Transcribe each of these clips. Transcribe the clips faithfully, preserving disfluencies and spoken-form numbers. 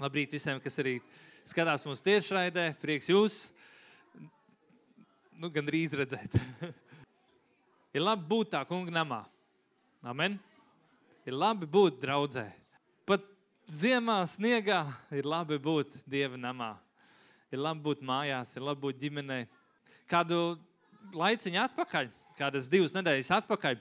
Labrīt visiem, kas arī skatās mūsu tiešraidē. Prieks jūs, nu, gandrīz redzēt. Ir labi būt tā kunga namā. Amen. Ir labi būt draudzē. Pat ziemā, sniegā ir labi būt Dieva namā. Ir labi būt mājās, ir labi būt ģimenei. Kādu laiciņu atpakaļ, kādas divas nedēļas atpakaļ,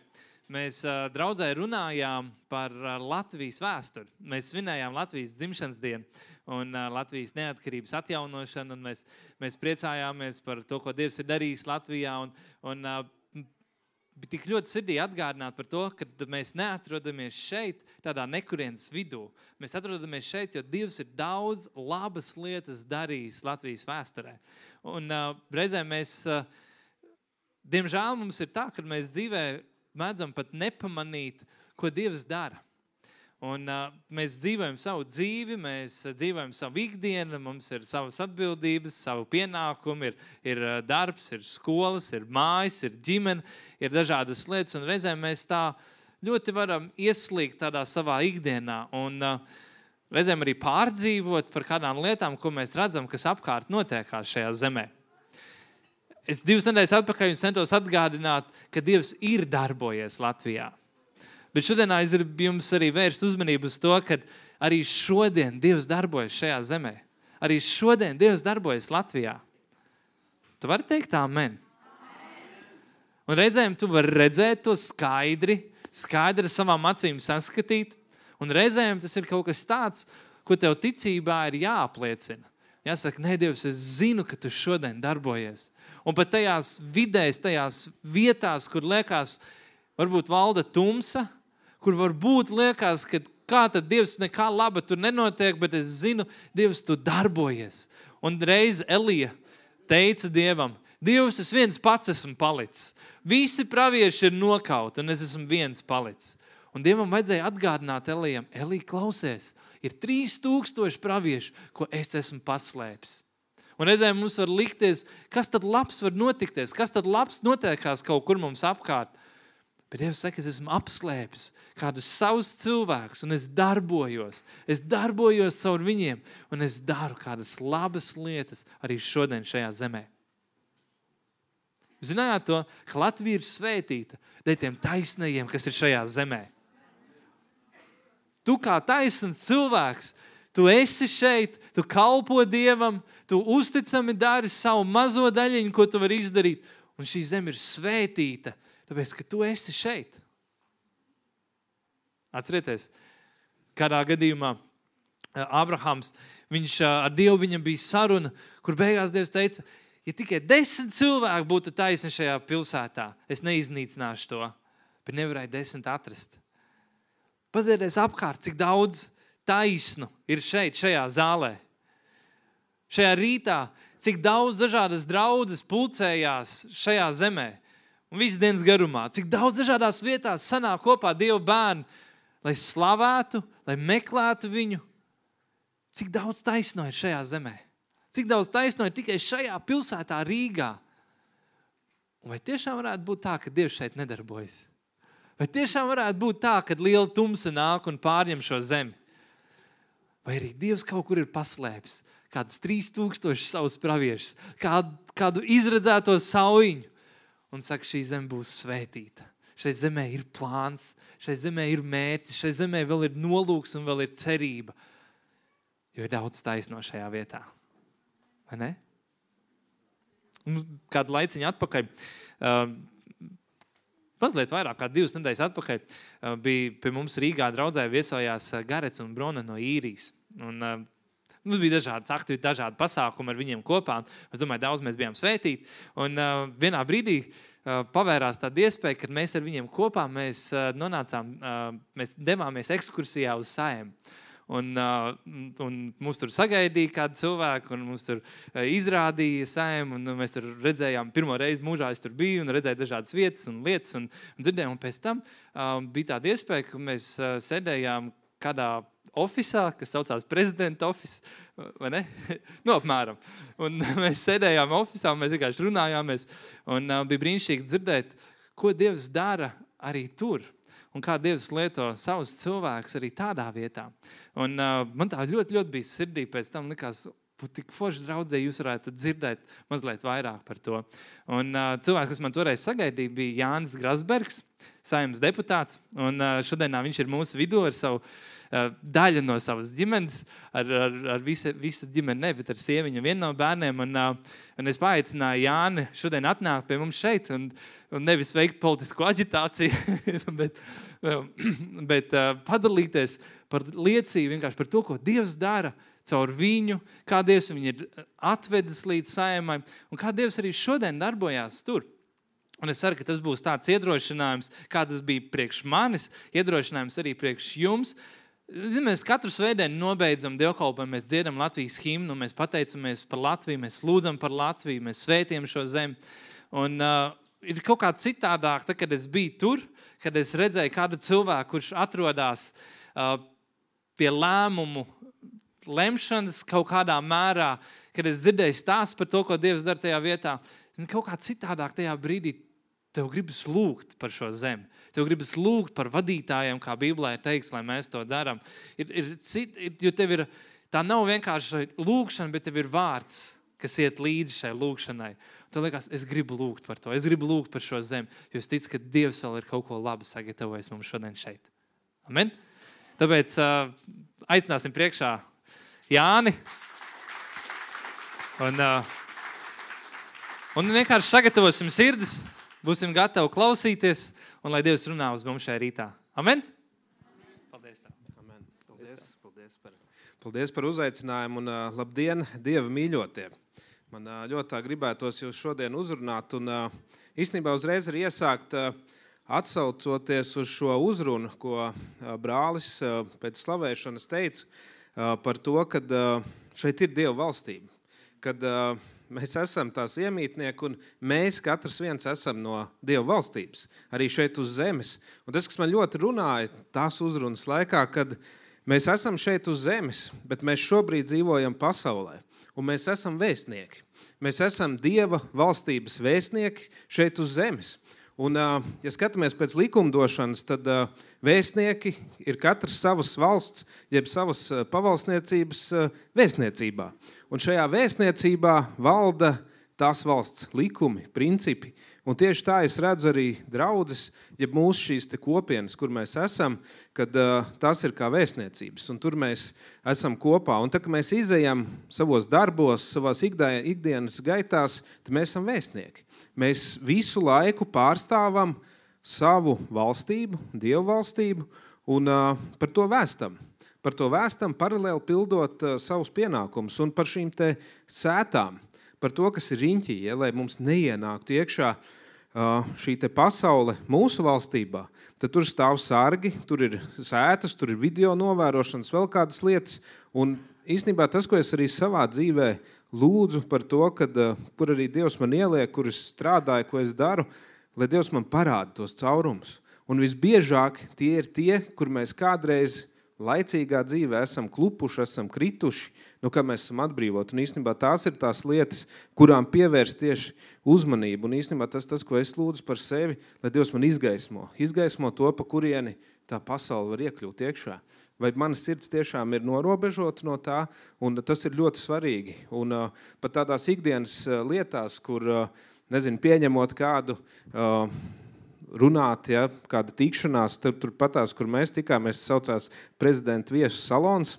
mēs uh, draudzē runājām par uh, Latvijas vēsturi. Mēs svinējām Latvijas dzimšanas dienu un uh, Latvijas neatkarības atjaunošanu, un mēs, mēs priecājāmies par to, ko Dievs ir darījis Latvijā, un, un uh, bija tik ļoti sirdī atgādināt par to, ka mēs neatrodamies šeit tādā nekurienes vidū. Mēs atrodamies šeit, jo Dievs ir daudz labas lietas darījis Latvijas vēsturē. Un uh, reizēm mēs, uh, diemžēl mums ir tā, ka mēs dzīvē mēdzam pat nepamanīt, ko Dievs dara. Un uh, mēs dzīvojam savu dzīvi, mēs dzīvojam savu ikdienu, mums ir savas atbildības, savu pienākumu, ir, ir darbs, ir skolas, ir mājas, ir ģimene, ir dažādas lietas, un reizēm mēs tā ļoti varam ieslīgt tādā savā ikdienā un uh, reizēm arī pārdzīvot par kādām lietām, ko mēs redzam, kas apkārt notiekās šajā zemē. Es divas nedēļas atpakaļ centos atgādināt, ka Dievs ir darbojies Latvijā. Bet šodienā es gribu jums arī vērst uzmanību uz to, ka arī šodien Dievs darbojas šajā zemē. Arī šodien Dievs darbojas Latvijā. Tu vari teikt amen? Un reizēm tu vari redzēt to skaidri, skaidri savām acīm saskatīt, un reizēm tas ir kaut kas tāds, ko tev ticībā ir jāapliecina. Jāsaka, nē, Dievs, es zinu, ka tu šodien darbojies. Un pat tajās vidēs, tajās vietās, kur liekas, varbūt valda tumsa, kur varbūt liekas, ka kā tad Dievs nekā laba tur nenotiek, bet es zinu, Dievs, tu darbojies. Un reiz Elija teica Dievam, Dievs, es viens pats esmu palicis. Visi pravieši ir nokauti, un es esmu viens palicis. Un Dievam vajadzēja atgādināt Elijam, Elija, klausies, ir trīs tūkstoši pravieši, ko es esmu paslēpis. Un reizēm mums var likties, kas tad labs var notikties, kas tad labs notiekās kaut kur mums apkārt. Bet Dievs saka, es esmu apslēpis kādus savus cilvēkus, un es darbojos. Es darbojos caur viņiem, un es daru kādas labas lietas arī šodien šajā zemē. Zinājāt to, ka Latvija ir svētīta dēļ tiem taisnajiem, kas ir šajā zemē. Tu kā taisns cilvēks, tu esi šeit, tu kalpo Dievam, tu uzticami dari savu mazo daļiņu, ko tu vari izdarīt, un šī zeme ir svētīta, tāpēc, ka tu esi šeit. Atcerieties, kādā gadījumā Abrahams, viņš ar Dievu viņam bija saruna, kur beigās Dievs teica, ja tikai desmit cilvēki būtu taisni šajā pilsētā, es neiznīcināšu to, bet nevarēju desmit atrast. Paskatieties apkārt, cik daudz taisnu ir šeit, šajā zālē. Šajā rītā, cik daudz dažādas draudzes pulcējās šajā zemē. Un visu dienas garumā, cik daudz dažādās vietās sanāk kopā Dieva bērni, lai slavētu, lai meklētu viņu. Cik daudz taisno ir šajā zemē. Cik daudz taisno ir tikai šajā pilsētā Rīgā. Un vai tiešām varētu būt tā, ka Dievs šeit nedarbojas? Vai tiešām varētu būt tā, kad liela tumsa nāk un pārņem šo zemi? Vai arī Dievs kaut kur ir paslēpis kādas trīs tūkstoši savus praviešus, kādu, kādu izredzēto saujiņu, un saka, šī zeme būs svētīta. Šai zemē ir plāns, šai zemē ir mērķis, šai zemē vēl ir nolūks un vēl ir cerība, jo ir daudz taisno šajā vietā. Vai ne? Un kādu laiciņu atpakaļ, uh, mazliet vairāk, kā divas nedēļas atpakaļ, bija pie mums Rīgā draudzē viesojās Garets un Brona no Īrijas. Un, mums bija dažādas aktivitātes, dažādi pasākumi ar viņiem kopā. Es domāju, daudz mēs bijām svētīti. Un uh, vienā brīdī uh, pavērās tāda iespēja, kad mēs ar viņiem kopā mēs uh, nonācām, uh, mēs devāmies ekskursijā uz Saeimu. Un, uh, un mums tur sagaidīja kādu cilvēku, un mums tur uh, izrādīja Saeimu, un mēs tur redzējām, pirmo reizi mūžā es tur biju, un redzēju dažādas vietas un lietas, un, un dzirdējām, un pēc tam uh, bija tāda iespēja, ka mēs uh, sēdējām kādā ofisā, kas saucās prezidenta ofis, vai ne? Nu, apmēram. Un mēs sēdējām ofisā, un mēs vienkārši runājāmies, un uh, bija brīnišķīgi dzirdēt, ko Dievs dara arī tur. un kā Dievs lieto savus cilvēkus arī tādā vietā. Un uh, man tā ļoti, ļoti bija sirdī pēc tam likās, tik forši draudzē jūs varētu dzirdēt mazliet vairāk par to. Un uh, cilvēks, kas man toreiz sagaidīja, bija Jānis Grasbergs, Saeimas deputāts, un uh, šodienā viņš ir mūsu vidū ar savu uh, daļu no savas ģimenes, ar, ar, ar visu, visu ģimeni, ne, bet ar sieviņu vienu no bērniem, un, uh, un es paaicināju Jāni šodien atnākt pie mums šeit, un, un nevis veikt politisku aģitāciju, bet, bet uh, padalīties par liecību vienkārši par to, ko Dievs dara, caur viņu, kā Dievs viņu ir atvedis līdz Saeimai, un kā Dievs arī šodien darbojās tur. Un es ceru, ka tas būs tāds iedrošinājums, kā tas bija priekš manis, iedrošinājums arī priekš jums. Zin, mēs katru svētdienu nobeidzam dievkalpojumu, mēs dziedam Latvijas himnu, mēs pateicamies par Latviju, mēs lūdzam par Latviju, mēs svētījam šo zemi. Un uh, ir kaut kā citādāk, tad, kad es biju tur, kad es redzēju kādu cilvēku, kurš atrodās uh, pie lēmumu lemšanas kaut kādā mērā, kad es dzirdēju stāstu par to, ko Dievs dara tajā vietā, kaut kā citādāk tajā brīdī tev gribas lūgt par šo zemi. Tev gribas lūgt par vadītājiem, kā Bībelē ir teikts, lai mēs to daram. Ir, ir cit, jo tev ir, tā nav vienkārši lūgšana, bet tev ir vārds, kas iet līdzi šai lūgšanai. Tev liekas, es gribu lūgt par to, es gribu lūgt par šo zemi, jo es ticu, ka Dievs vēl ir kaut ko labu sagatavojis mums šodien šeit. Amen? Tāpēc uh, aicināsim priekšā Jāni. Un, uh, un vienkārši sagatavosim sirdis, būsim gatavi klausīties, un lai Dievs runā uz mums šajā rītā. Amen? Paldies tev. Amen. Paldies, paldies, par, paldies par uzaicinājumu un uh, labdien, Dieva mīļotie. Man uh, ļoti tā gribētos jūs šodien uzrunāt un uh, īstenībā uzreiz arī iesākt uh, atsaucoties uz šo uzrunu, ko uh, brālis uh, pēc slavēšanas teica, par to, ka šeit ir Dieva valstība, kad mēs esam tās iemītnieki un mēs katrs viens esam no Dieva valstības, arī šeit uz zemes. Un tas, kas man ļoti runāja tās uzrunas laikā, kad mēs esam šeit uz zemes, bet mēs šobrīd dzīvojam pasaulē un mēs esam vēstnieki. Mēs esam Dieva valstības vēstnieki šeit uz zemes. Un, ja skatāmies pēc likumdošanas, tad vēstnieki ir katrs savas valsts, jeb savas pavalsniecības vēstniecībā. Un šajā vēstniecībā valda tās valsts likumi, principi. Un tieši tā es redzu arī draudzes, jeb mūsu šīs te kopienas, kur mēs esam, kad tās ir kā vēstniecības. Un tur mēs esam kopā. Un tā, ka mēs izejam savos darbos, savās ikdienas gaitās, tad mēs esam vēstnieki. Mēs visu laiku pārstāvam savu valstību, Dievu valstību, un uh, par to vēstam. Par to vēstam paralēli pildot uh, savus pienākumus un par šīm te sētām, par to, kas ir riņķī, ja, lai mums neienāktu iekšā uh, šī te pasaule mūsu valstībā. Tad tur stāv sargi, tur ir sētas, tur ir video novērošanas, vēl kādas lietas, un īstenībā tas, ko es arī savā dzīvē lūdzu par to, kad, kur arī Dievs man ieliek, kur es strādāju, ko es daru, lai Dievs man parāda tos caurumus. Un visbiežāk tie ir tie, kur mēs kādreiz laicīgā dzīvē esam klupuši, esam krituši, nu, kā mēs esam atbrīvot. Un īstenībā tās ir tās lietas, kurām pievērst tieši uzmanību. Un īstenībā tas, tas, ko es lūdzu par sevi, lai Dievs man izgaismo. Izgaismo to, pa kurieni tā pasaule var iekļūt iekšā. Vai mana sirds tiešām ir norobežota no tā, un tas ir ļoti svarīgi. Un uh, pat tādās ikdienas uh, lietās, kur, uh, nezinu, pieņemot kādu uh, runāt, ja, kāda tikšanās, tur, tur patās, kur mēs tikāmies, saucās prezidenta viesu salons,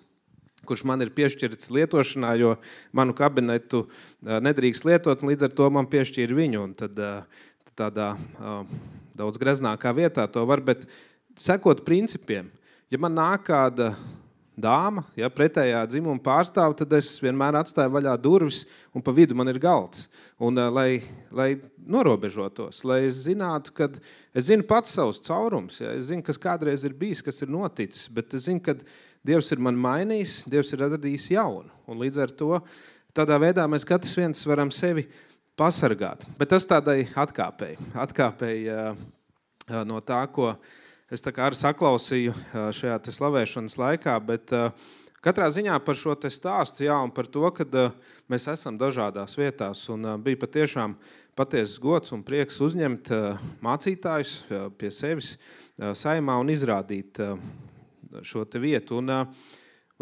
kurš man ir piešķirts lietošanā, jo manu kabinetu uh, nedrīkst lietot, un līdz ar to man piešķīra viņu, un tad uh, tādā uh, daudz greznākā vietā to var, bet sekot principiem. Ja man nāk kāda dāma, ja pretējā dzimuma pārstāv, tad es vienmēr atstāju vaļā durvis un pa vidu man ir galds. Un lai, lai norobežotos, lai es zinātu, kad es zinu pats savus caurums, ja, es zinu, kas kādreiz ir bijis, kas ir noticis, bet es zinu, kad Dievs ir man mainījis, Dievs ir radījis jaunu. Un līdz ar to tādā veidā mēs katrs viens varam sevi pasargāt. Bet tas tādai atkāpēji, atkāpēji uh, no tā, ko es tā kā arī saklausīju šajā te slavēšanas laikā, bet uh, katrā ziņā par šo te stāstu, jā, un par to, kad uh, mēs esam dažādās vietās, un uh, bija patiešām patiesas gods un prieks uzņemt uh, mācītājus uh, pie sevis saimā un izrādīt šo te vietu. Un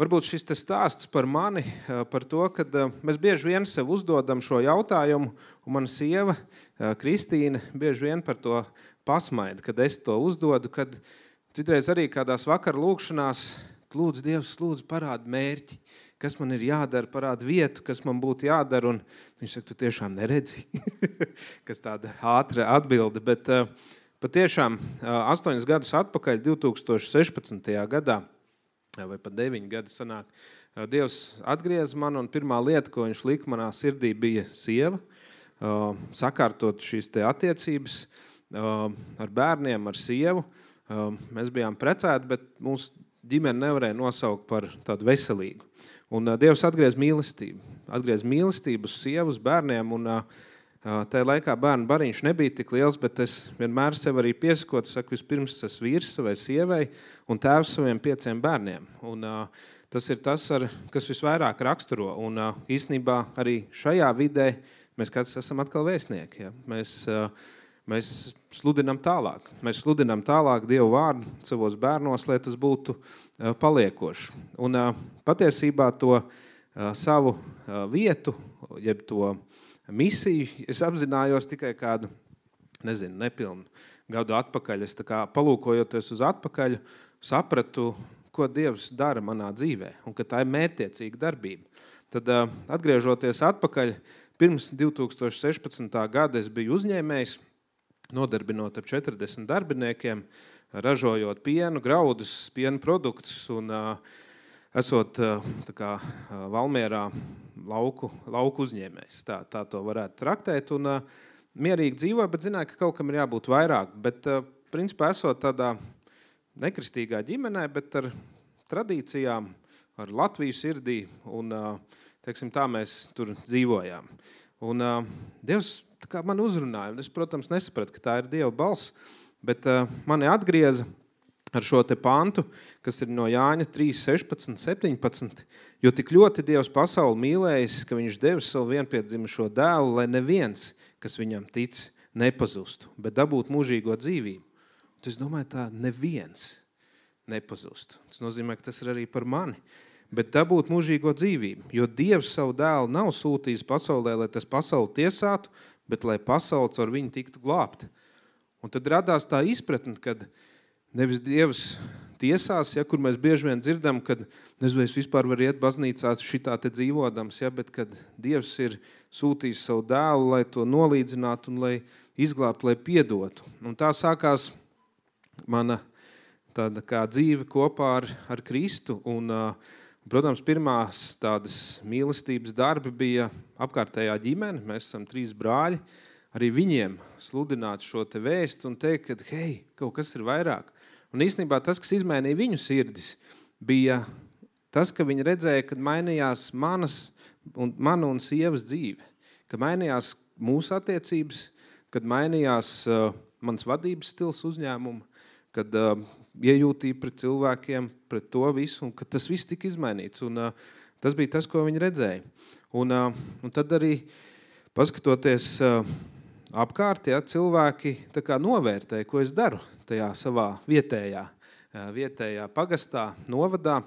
varbūt šis te stāsts par mani, par to, kad mēs bieži vien sev uzdodam šo jautājumu, un mana sieva, Kristīna, bieži vien par to pasmaida, kad es to uzdodu, kad citreiz arī kādās vakar lūkšanās lūdzu Dievs, lūdzu parāda mērķi, kas man ir jādara, parāda vietu, kas man būtu jādara, un viņš saka, tu tiešām neredzi, kas tāda ātra atbilde, bet patiešām astoņus gadus atpakaļ, divi tūkstoši sešpadsmitajā gadā, vai pat deviņi gadi sanāk, Dievs atgriez man, un pirmā lieta, ko viņš lika manā sirdī, bija sieva, sakārtot šīs te attiecības ar bērniem, ar sievu. Mēs bijām precēti, bet mūsu ģimene nevarēja nosaukt par tādu veselīgu. Un Dievs atgriez mīlestību. Atgriez mīlestību uz sievu, uz bērniem, un tajā laikā bērnu bariņš nebija tik liels, bet es vienmēr sev arī piesakot, saku, vispirms es vīrs savai sievai un tēvs saviem pieciem bērniem. Un tas ir tas, ar, kas visvairāk raksturo. Un īstenībā arī šajā vidē mēs kāds esam atkal vēstnieki. Ja? Mēs Mēs sludinām tālāk. Mēs sludinām tālāk Dievu vārdu savos bērnos, lai tas būtu paliekoši. Un patiesībā to savu vietu, jeb to misiju, es apzinājos tikai kādu, nezinu, nepilnu gadu atpakaļ. Es tā kā palūkojoties uz atpakaļ, sapratu, ko Dievs dara manā dzīvē, un ka tā ir mērķtiecīga darbība. Tad atgriežoties atpakaļ, pirms divi tūkstoši sešpadsmitā gada es biju uzņēmējs, nodarbinot ap četrdesmit darbiniekiem, ražojot pienu, graudus, piena produktus un uh, esot uh, tā kā, uh, Valmierā lauku, lauku uzņēmējs. Tā, tā to varētu traktēt un uh, mierīgi dzīvo, bet zināju, ka kaut kam ir jābūt vairāk. Bet, uh, principā, esot tādā nekristīgā ģimenē, bet ar tradīcijām, ar Latviju sirdī un, uh, teiksim, tā mēs tur dzīvojām. Un uh, Dievs tā kā man uzrunāja, un es, protams, nesapratu, ka tā ir Dieva balss, bet uh, mani atgrieza ar šo te pantu, kas ir no Jāņa trīs, sešpadsmit, septiņpadsmit, jo tik ļoti Dievs pasauli mīlējis, ka viņš devis savu vienpiedzimušo dēlu, lai neviens, kas viņam tic, nepazustu, bet dabūtu mūžīgo dzīvību. Un es domāju, tā neviens nepazustu. Tas nozīmē, ka tas ir arī par mani. Bet dabūt mūžīgo dzīvību, jo Dievs savu dēlu nav sūtījis pasaulē, lai tas pasauli tiesātu, bet lai pasauli caur viņu tiktu glābta. Un tad radās tā izpratne, kad nevis Dievs tiesās, ja, kur mēs bieži vien dzirdam, kad nezinu, es vispār varu iet baznīcā šitā te dzīvodams, ja, bet kad Dievs ir sūtījis savu dēlu, lai to nolīdzinātu un lai izglābtu, lai piedotu. Un tā sākās mana tāda kā dzīve kopā ar, ar Kristu un uh, protams, pirmās tādas mīlestības darbi bija apkārtējā ģimene. Mēs esam trīs brāļi. Arī viņiem sludināt šo te vēstu un teikt, ka, hei, kaut kas ir vairāk. Un īstenībā tas, kas izmainīja viņu sirdis, bija tas, ka viņi redzēja, kad mainījās manas un, mana un sievas dzīve. Ka mainījās mūsu attiecības, kad mainījās uh, mans vadības stils uzņēmuma, kad uh, iejūtīja pret cilvēkiem, pret to visu, un ka tas viss tika izmainīts. Un, uh, tas bija tas, ko viņi redzēja. Un, uh, un tad arī, paskatoties uh, apkārt, ja, cilvēki tā kā novērtēja, ko es daru tajā savā vietējā, uh, vietējā pagastā, novadā.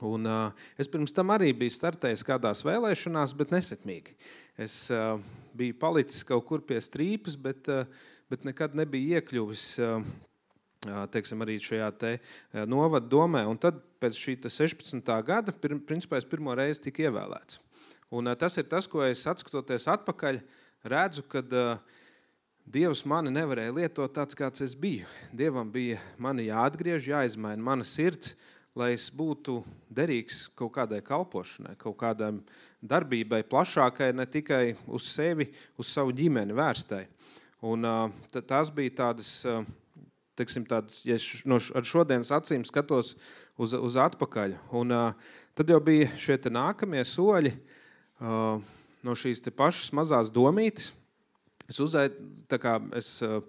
Un, uh, es pirms tam arī biju startējis kādās vēlēšanās, bet nesekmīgi. Es uh, biju palicis kaut kur pie strīpas, bet, uh, bet nekad nebija iekļuvis uh, teiksim, arī šajā te novada domē. Un tad pēc šī sešpadsmitā gada, pir, principā es pirmo reizi tika ievēlēts. Un tas ir tas, ko es atskatoties atpakaļ, redzu, kad uh, Dievs mani nevarēja lietot tāds, kāds es biju. Dievam bija mani jāatgriež, jāizmaina mana sirds, lai es būtu derīgs kaut kādai kalpošanai, kaut kādai darbībai plašākai, ne tikai uz sevi, uz savu ģimeni vērstai. Un uh, tās bija tādas... Uh, Teiksim, tāds, ja no, ar šodienas acīm skatos uz, uz atpakaļ. Un, uh, tad jau bija šie te nākamie soļi uh, no šīs te pašas mazās domītes. Es uzaitu, tā kā es uh,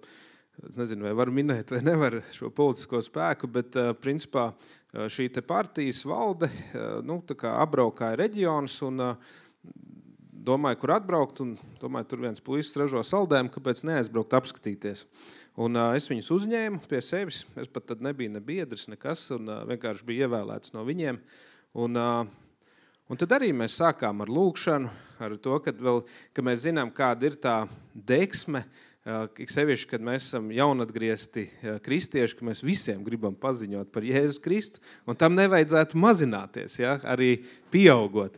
nezinu, vai varu minēt, vai nevaru šo politisko spēku, bet uh, principā uh, šī te partijas valde uh, nu, tā kā apbraukāja reģionus un uh, domāju, kur atbraukt, un domāju, tur viens puisis ražo saldējumu, kāpēc neaizbraukt apskatīties. Un uh, es viņus uzņēmu pie sevis. Es pat tad nebiju ne biedrs, nekas, un uh, vienkārši biju ievēlēts no viņiem. Un, uh, un tad arī mēs sākām ar lūkšanu, ar to, kad, vēl, ka mēs zinām, kāda ir tā deksme, ik sevišķi, kad mēs esam jaunatgriezti kristieši, ka mēs visiem gribam paziņot par Jēzus Kristu, un tam nevajadzētu mazināties, ja, arī pieaugot.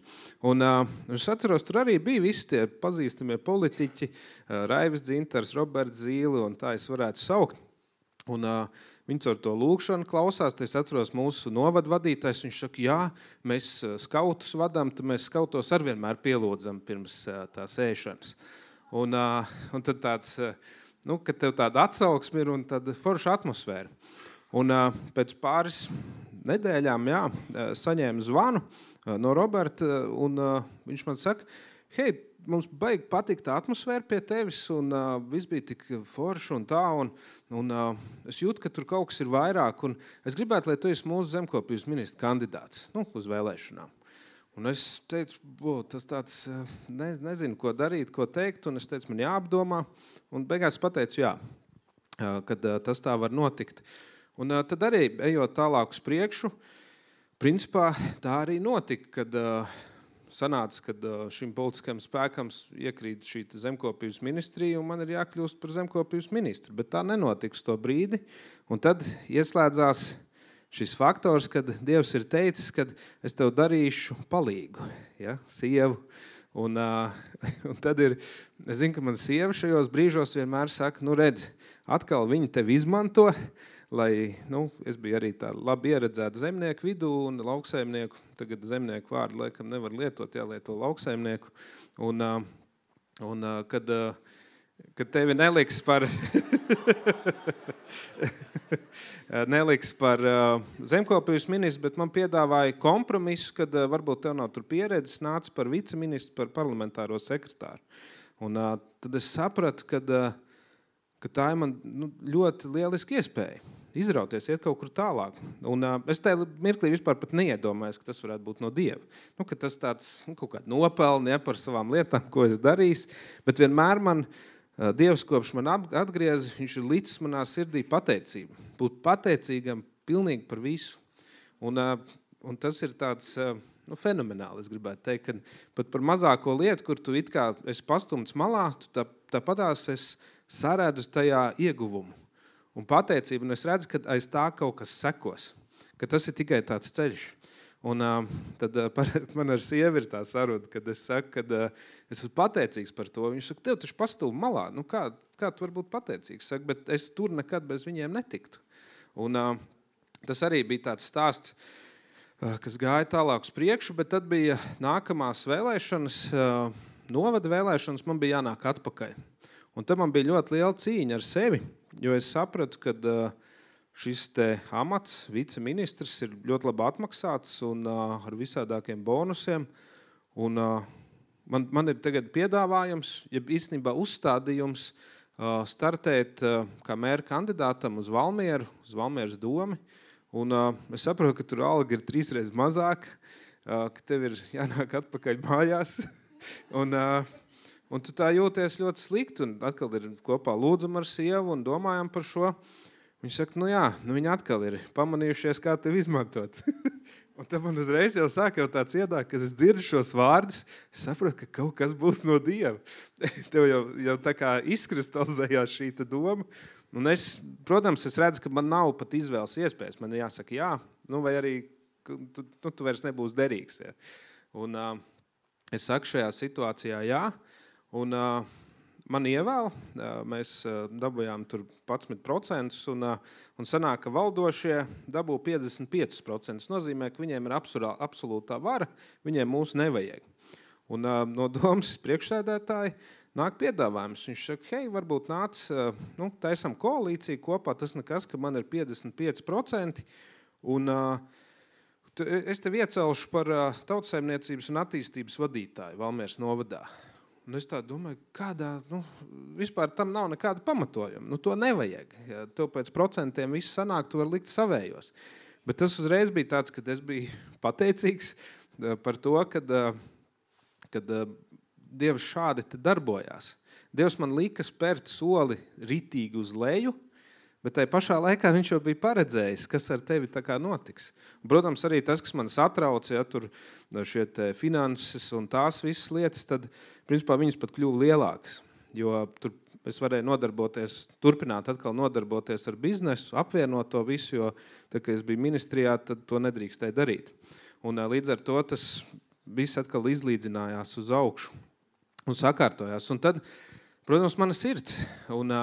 Un uh, es atceros, tur arī bija visi tie pazīstamie politiķi, uh, Raivis Dzintars, Roberts Zīle, un tā es varētu saukt. Un uh, viņi ar to lūkšanu klausās, es atceros mūsu novadvadītājs, viņš saka, jā, mēs skautus vadām, tad mēs skautos arvienmēr pielūdzam pirms uh, tās ēšanas. Un, uh, un tad tāds, uh, nu, kad tev tāda atsauksme ir un tāda forša atmosfēra. Un uh, pēc pāris nedēļām, jā, saņēmu zvanu uh, no Roberta, un uh, viņš man saka, hei, mums baigi patīk tā atmosfēra pie tevis, un uh, viss bija tik forši un tā, un, un uh, es jūtu, ka tur kaut kas ir vairāk, un es gribētu, lai tu esi mūsu zemkopības ministra kandidāts, nu, uz vēlēšanām. Un es teicu, bo, tas tāds, ne, nezinu, ko darīt, ko teikt, un es teicu, man jāapdomā, un beigās pateicu, jā, kad tas tā var notikt. Un tad arī, ejot tālāk uz priekšu, principā tā arī notika, kad sanāca, kad šim politiskajam spēkam iekrīt šī zemkopības ministrija, un man ir jākļūst par zemkopības ministru, bet tā nenotiks to brīdi, un tad ieslēdzās šis faktors, kad Dievs ir teicis, kad es tev darīšu palīgu, ja, sievu. Un, uh, un tad ir, es zinu, ka man sieva šajos brīžos vienmēr saka, nu redz, atkal viņi tevi izmanto, lai, nu, es biju arī tā labi ieredzēta zemnieku vidū un lauksaimnieku, tagad zemnieku vārdu laikam nevar lietot, jālieto lauksaimnieku. Un, uh, un uh, kad, uh, kad tevi neliks par... neliks par uh, zemkopības ministru, bet man piedāvāja kompromisu, kad uh, varbūt tev nav tur pieredzes, nāca par viceministru, par parlamentāro sekretāru. Un uh, tad es sapratu, kad, uh, ka tā ir man nu, ļoti lieliski iespēja izrauties, iet kaut kur tālāk. Un uh, es tajā mirklī vispār pat neiedomājos, ka tas varētu būt no Dieva. Nu, ka tas tāds nu, kaut kāds nopelni, ja, par savām lietām, ko es darīju, bet vienmēr man Dievs, kopš man atgriez, viņš ir licis manā sirdī pateicību. Būt pateicīgam pilnīgi par visu. Un, un tas ir tāds nu, fenomenāli, es gribētu teikt, ka pat par mazāko lietu, kur tu it kā esi pastumts malā, tu tā, tāpatās es sarēdu tajā ieguvumu. Un pateicību, un es redzu, ka aiz tā kaut kas sekos, ka tas ir tikai tāds ceļš. Un uh, tad uh, parasti man ar sievi ir tā saruna, kad es saku, kad uh, es esmu pateicīgs par to. Viņš saka, tev taču pastūmi malā. Nu, kā, kā tu var būt pateicīgs? Saka, bet es tur nekad bez viņiem netiktu. Un uh, tas arī bija tāds stāsts, uh, kas gāja tālāk uz priekšu, bet tad bija nākamās vēlēšanas, uh, novada vēlēšanas, man bija jānāk atpakaļ. Un tad man bija ļoti liela cīņa ar sevi, jo es sapratu, kad... Uh, Šis te amats, viceministrs, ir ļoti labi atmaksāts un uh, ar visādākiem bonusiem. Un, uh, man, man ir tagad piedāvājums, ja īstenībā uzstādījums uh, startēt uh, kā mēra kandidātam uz Valmieru, uz Valmieras domi. Un uh, es saprotu, ka tur alga ir trīsreiz mazāk, uh, ka tev ir jānāk atpakaļ mājās. un, uh, un tu tā jūties ļoti slikti. Un atkal ir kopā lūdzam ar sievu un domājam par šo. Viņš saka, nu jā, nu viņi atkal ir pamanījušies, kā tevi izmantot. Un tad man uzreiz jau sāk jau tāds iedāk, kad es dzirdu šos vārdus, es saprotu, ka kaut kas būs no Dieva. Tev jau, jau tā kā izkristalizējās šī doma. Un es, protams, es redzu, ka man nav pat izvēles iespējas. Man jāsaka jā, nu vai arī tu, tu, tu vairs nebūs derīgs. Ja. Un uh, es saku šajā situācijā jā. Un... Uh, Man ievēl, mēs dabujām tur padsmit procentus un, un sanāk, ka valdošie dabū piecdesmit pieci procenti. Tas nozīmē, ka viņiem ir absolūtā vara, viņiem mūs nevajag. Un no domas priekšsēdētāji nāk piedāvājums. Viņš saka, hei, varbūt nāc, nu, taisam koalīciju kopā, tas nekas, ka man ir piecdesmit pieci procenti. Un es tev iecelšu par Tautsaimniecības un attīstības vadītāju Valmieras novadā. Un es tā domāju, kādā, nu, vispār tam nav nekāda pamatojuma. Nu, to nevajag. Ja tev pēc procentiem viss sanāk, tu var likt savējos. Bet tas uzreiz bija tāds, kad es biju pateicīgs par to, kad, kad Dievs šādi te darbojās. Dievs man lika spērt soli ritīgi uz leju, Bet tai pašā laikā viņš jau bija paredzējis, kas ar tevi tā kā notiks. Protams, arī tas, kas man satrauc, ja tur šie te finanses un tās visas lietas, tad, principā, viņas pat kļuva lielākas. Jo tur es varēju nodarboties, turpināt atkal nodarboties ar biznesu, apvienot to visu, jo, tā, kad es biju ministrijā, tad to nedrīkstēja darīt. Un līdz ar to tas viss atkal izlīdzinājās uz augšu un sakārtojās. Un tad, protams, mana sirds. Un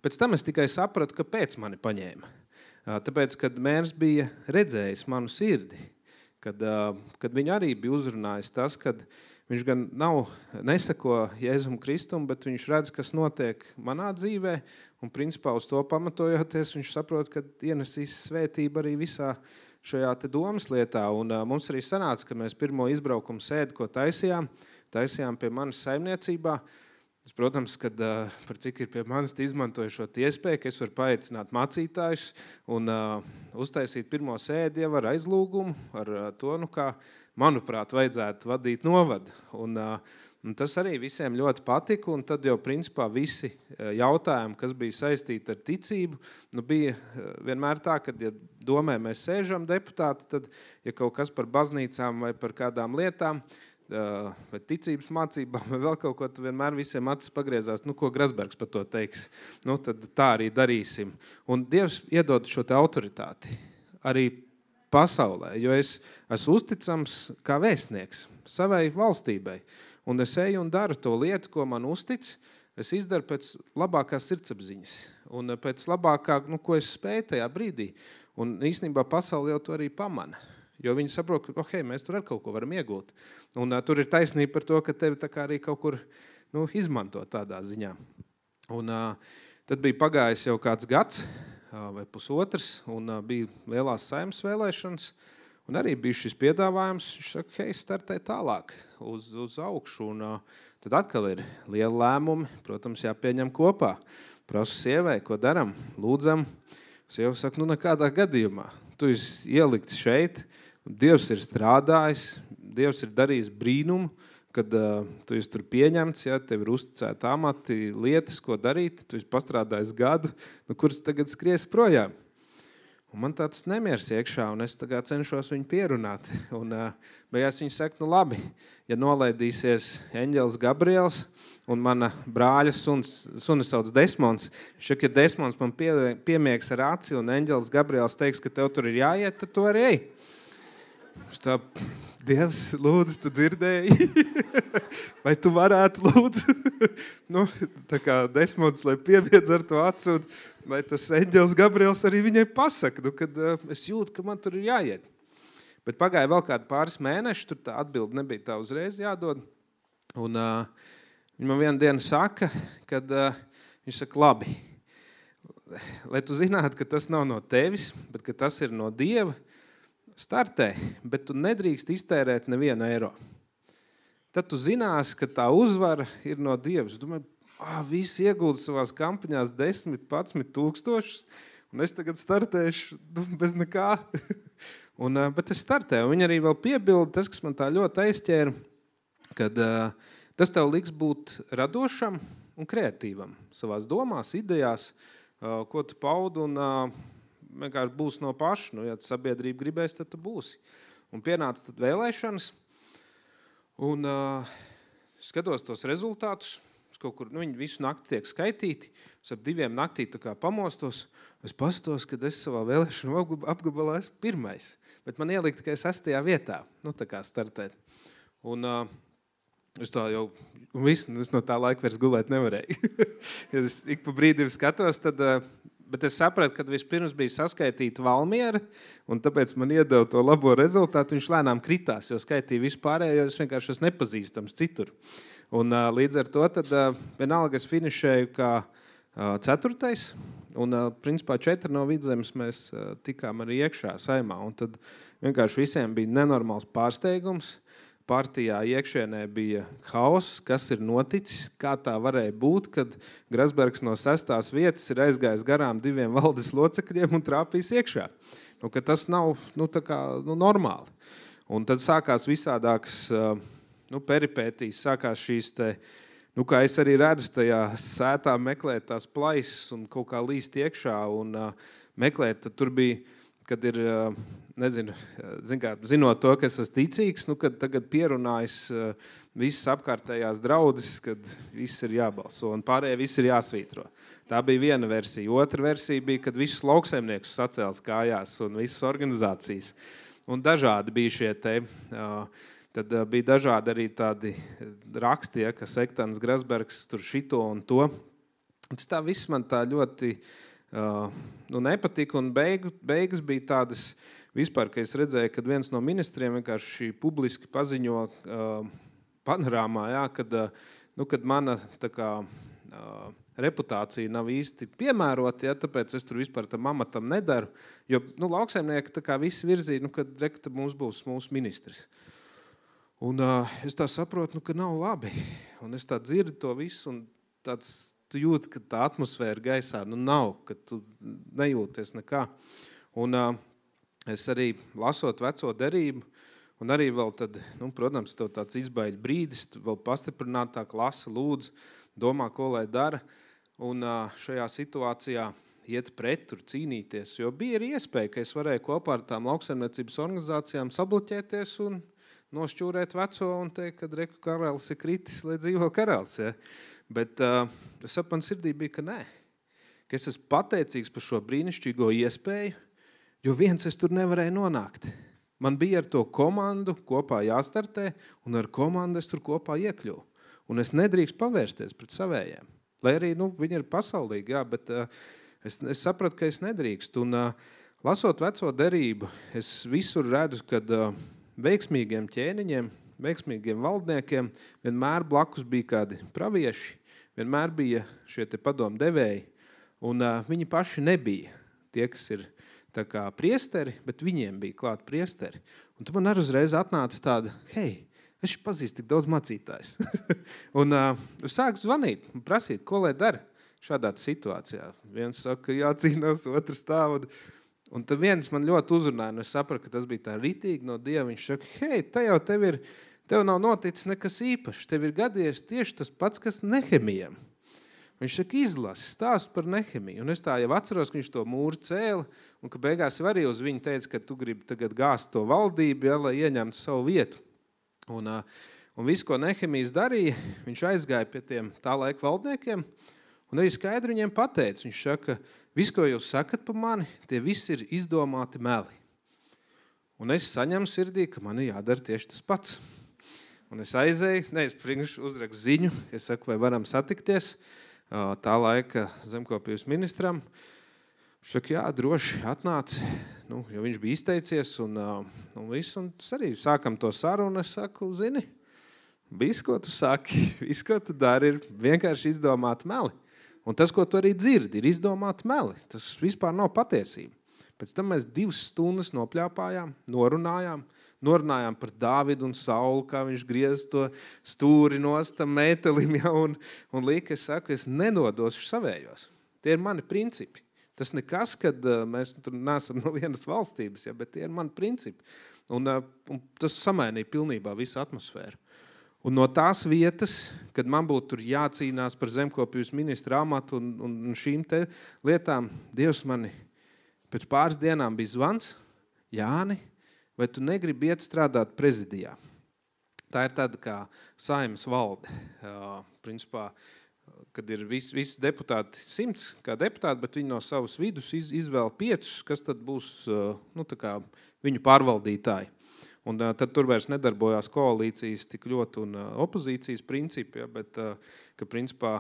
pēc tam es tikai sapratu, kāpēc mani paņēma. Tāpēc, kad mērs bija redzējis manu sirdi, kad, kad viņu arī bija uzrunājis tas, kad viņš gan nav, nesako Jēzum Kristum, bet viņš redz, kas notiek manā dzīvē, un principā uz to pamatojoties, viņš saprot, ka ienesīs svētība arī visā šajā te domas lietā. Un mums arī sanāca, ka mēs pirmo izbraukumu sēdi, ko taisījām, taisījām pie manas saimniecībā. Es, protams, kad uh, par cik ir pie manis izmantoju šo iespēju, ka es varu paaicināt mācītājus un uh, uztaisīt pirmo sēdi jau ar aizlūgumu, ar uh, to, nu kā, manuprāt, vajadzētu vadīt novadu. Un, uh, un tas arī visiem ļoti patika, un tad jau principā visi uh, jautājumi, kas bija saistīti ar ticību, nu bija uh, vienmēr tā, kad ja domē mēs sēžam deputāti, tad ja kaut kas par baznīcām vai par kādām lietām, vai ticības mācībām, vai vēl kaut ko, tad vienmēr visiem acis pagriezās, nu, ko Grasbergs par to teiks. Nu, tad tā arī darīsim. Un Dievs iedod šo te autoritāti arī pasaulē, jo es esmu uzticams kā vēstnieks savai valstībai. Un es eju un daru to lietu, ko man uztic, es izdaru pēc labākās sirdsapziņas un pēc labākā, nu, ko es spēju tajā brīdī. Un īstenībā pasaule jau to arī pamana. Jo viņi saprot, ka okay, mēs tur ar kaut ko varam iegūt. Un uh, tur ir taisnība par to, ka tevi tā kā arī kaut kur nu, izmanto tādā ziņā. Un uh, tad bija pagājis jau kāds gads uh, vai pusotrs, un uh, bija lielās saimnes vēlēšanas, un arī bija šis piedāvājums, viņš saka, hei, startē tālāk uz, uz augšu, un uh, tad atkal ir liela lēmumi, protams, jāpieņem kopā. Prasu sievai, ko daram, lūdzam. Sieva saka, nu nekādā gadījumā, tu esi ielikts šeit, Dievs ir strādājis, Dievs ir darījis brīnumu, kad uh, tu esi tur pieņemts, ja, tev ir uzticēti amati, lietas, ko darīt, tu esi pastrādājis gadu, nu, kurš tagad skries projām. Un man tāds nemieris iekšā, un es tagad cenšos viņu pierunāt. Un uh, beigās viņi saka, nu labi, ja nolaidīsies eņģelis Gabriels un mana brāļa suns, sunis sauc Desmons, šak, ja Desmons man pie, piemiegs ar aci un eņģelis Gabriels teiks, ka tev tur ir jāiet, tad tu arī ej. Tā, Dievs, lūdzu, tu dzirdēji? Vai tu varētu, lūdzu? Nu, tā kā Desmonds, lai pieviedz ar to acu, un lai tas eņģelis Gabriels arī viņai pasaka, nu, kad uh, es jūtu, ka man tur ir jāiet. Bet pagāja vēl kādi pāris mēneši, tur tā atbilde nebija tā uzreiz jādod. Un uh, viņi man vienu dienu saka, kad uh, viņš saka, labi, lai tu zinātu, ka tas nav no tevis, bet ka tas ir no Dieva, startē, bet tu nedrīkst iztērēt nevienu eiro. Tad tu zinās, ka tā uzvara ir no Dievs. Domāju, ah, visi iegulda savās kampaņās desmit, padsmit tūkstošus, un es tagad startēšu bez nekā. un, bet es startēju, un viņi arī vēl piebilda, tas, kas man tā ļoti aizķēra, kad uh, tas tev liks būt radošam un kreatīvam savās domās, idejās, uh, ko tu paudi, un uh, vienkārši būs no paša. Nu, ja sabiedrība gribēs, tad tu būsi. Un pienāca tad vēlēšanas, un uh, skatos tos rezultātus, kaut kur, nu, viņi visu nakti tiek skaitīti, es ap diviem naktī tā kā pamostos, es pastos, kad es savā vēlēšanu apgabalā esmu pirmais, bet man ielikt tikai sastajā vietā, nu, tā kā startēt. Un uh, es tā jau, un visu, es no tā laika vairs gulēt nevarēju. ja es ik pa brīdim skatos, tad... Uh, Bet es sapratu, ka vispirms bija saskaitīta Valmiera, un tāpēc man iedeva to labo rezultātu. Viņš lēnām kritās, jo skaitīja vispārējo, jo es vienkārši esmu nepazīstams citur. Un uh, līdz ar to tad uh, vienalga es finišēju kā uh, ceturtais, un uh, principā četri no Vidzemes mēs uh, tikām arī iekšā saimā. Un tad vienkārši visiem bija nenormāls pārsteigums. Partijā iekšienē bija hauss, kas ir noticis, kā tā varēja būt, kad Grasbergs no sestās vietas ir aizgājis garām diviem valdes locekļiem un trāpījis iekšā. Nu, ka tas nav nu, tā kā, nu, normāli. Un tad sākās visādākas nu, peripētīs, sākās šīs te nu, kā es arī redzu tajā sētā meklēt tās plaisas un kaut kā līst iekšā un uh, meklēt, tad tur bija, kad ir, uh, nezinu, zin kā, zinot to, ka es esmu ticīgs, nu, kad tagad pierunājas uh, visas apkārtējās draudzes, kad viss ir jābalso un pārējie viss ir jāsvītro. Tā bija viena versija. Otra versija bija, kad visus lauksaimniekus sacēls kājās un visas organizācijas. Un dažādi bija šie te... Uh, Tad bija dažādi arī tādi raksti, ja, ka Sektans Grasbergs tur šito un to. Un tas tā viss man tā ļoti uh, nu, nepatika, un beigu, beigas bija tādas vispār, ka es redzēju, kad viens no ministriem vienkārši publiski paziņo uh, panorāmā, ja, kad, uh, nu, kad mana tā kā, uh, reputācija nav īsti piemērota, ja, tāpēc es tur vispār tam amatam nedaru, jo nu, lauksaimnieki tā kā visi virzīja, nu, kad rekta mums būs mūsu ministrs. Un uh, es tā saprotu, nu, ka nav labi. Un es tā dzirdu to visu, un tāds, tu jūti, ka tā atmosfēra gaisā nu, nav, ka tu nejūties nekā. Un uh, es arī lasot veco derību, un arī vēl tad, nu, protams, tev tāds izbaiļ brīdis, tu vēl pastiprinātāk lasa, lūdz, domā, ko lai dara. Un uh, šajā situācijā iet pret, tur cīnīties, jo bija arī iespēja, ka es varēju kopā ar tām lauksaimniecības organizācijām sabloķēties un nošķūrēt veco un teikt, ka reku karalis ir kritis, lai dzīvo karalis. Ja? Bet uh, es ap man sirdī bija, ka nē. Ka es esmu pateicīgs par šo brīnišķīgo iespēju, jo viens es tur nevarēju nonākt. Man bija ar to komandu kopā jāstartē, un ar komandu es tur kopā iekļuvu. Un es nedrīkst pavērsties pret savējiem. Lai arī nu, viņi ir pasaulīgi, jā, bet uh, es, es sapratu, ka es nedrīkst. Un uh, lasot veco derību, es visur redzu, kad... Uh, veiksmīgiem ķēniņiem, veiksmīgiem valdniekiem vienmēr blakus bija kādi pravieši, vienmēr bija šie te padomu devēji, un uh, viņi paši nebija tie, kas ir tā kā priesteri, bet viņiem bija klāt priesteri. Un tu man arī uzreiz atnāca tāda, hei, es pazīstu tik daudz mācītājs. un uh, es sāku zvanīt un prasīt, ko lai dara šādā situācijā. Viens saka, jācīnās, otrs tā. Un tad viens man ļoti uzrunāja, un es sapratu, ka tas bija tā ritīgi no Dieva. Viņš saka, hei, te jau tev ir, tev nav noticis nekas īpašs, tev ir gadījies tieši tas pats, kas Nehemijam. Viņš saka, izlasi, stāst par Nehemiju. Un es tā jau atceros, ka viņš to mūru cēla, un ka beigās arī uz viņu teica, ka tu gribi tagad gāzt to valdību, ja, lai ieņemtu savu vietu. Un, un visu, ko Nehemijs darīja, viņš aizgāja pie tiem tā laika valdniekiem, un arī skaidri viņiem pateica. Viņš saka, viss, ko jūs sakat par mani, tie visi ir izdomāti meli. Un es saņemu sirdī, ka man ir jādara tieši tas pats. Un es aizēju, ne, es priekš uzrakstu ziņu, es saku, vai varam satikties tā laika zemkopības ministram. Viņš saka, jā, droši atnāc, nu, jo viņš bija izteicies un, un viss. Un arī sākam to sarunu, es saku, zini, viss, ko tu saki, viss, ko tu dari, ir vienkārši izdomāti meli. Un tas, ko tu arī dzirdi, ir izdomāti meli. Tas vispār nav patiesība. Pēc tam mēs divas stundas nopļāpājām, norunājām, norunājām par Dāvidu un Saulu, kā viņš griez to stūri nost tam mētelim, ja, un, un līka, es saku, es nenodošu savējos. Tie ir mani principi. Tas nekas, kad uh, mēs tur neesam no vienas valstības, ja, bet tie ir mani principi. Un, uh, un tas samainīja pilnībā visu atmosfēru. Un no tās vietas, kad man būtu tur jācīnās par zemkopības ministra amatu un, un šīm te lietām, Dievs mani pēc pāris dienām bija zvans, Jāni, vai tu negribi iet strādāt prezidijā? Tā ir tāda kā Saeimas valde. Uh, principā, kad ir visi, visi deputāti, simts kā deputāti, bet viņi no savas vidus iz, izvēl piecus, kas tad būs uh, nu, tā kā viņu pārvaldītāji. Un uh, tad tur vairs nedarbojās koalīcijas tik ļoti un uh, opozīcijas principi, ja, bet uh, ka principā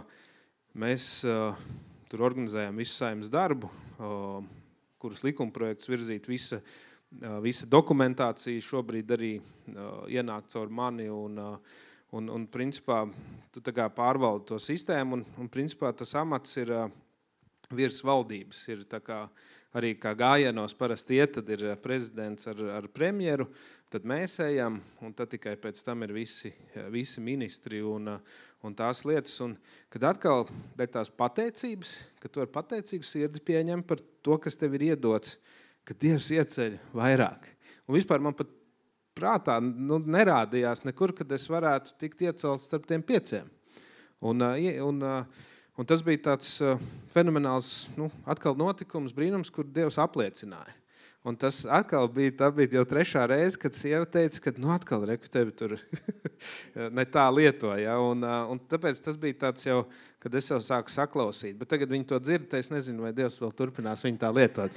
mēs uh, tur organizējam visu Saeimas darbu, uh, kurus likumprojekts virzīt visa, uh, visa dokumentācija šobrīd arī uh, ienāk caur mani un, uh, un, un principā tu tā kā pārvaldi to sistēmu un, un principā tas amats ir uh, virs valdības, ir tā kā arī kā gājienos parasti iet, tad ir prezidents ar, ar premjeru, tad mēs ejam, un tad tikai pēc tam ir visi, visi ministri un, un tās lietas. Un kad atkal dēļ tās pateicības, ka tu ar pateicīgu sirdi pieņem par to, kas tev ir iedots, ka Dievs ieceļ vairāk. Un vispār man pat prātā nu, nerādījās nekur, kad es varētu tikt iecelts starp tiem pieciem. Un, un, un tas bija tāds fenomenāls, nu, atkal notikums, brīnums, kur Dievs apliecināja. Un tas atkal bija, tā bija jau trešā reize, kad sieva teica, ka nu atkal reku tevi tur ne tā lieto. Ja? Un, un tāpēc tas bija tāds jau, kad es jau sāku saklausīt. Bet tagad viņi to dzird, es nezinu, vai Dievs vēl turpinās viņu tā lietot.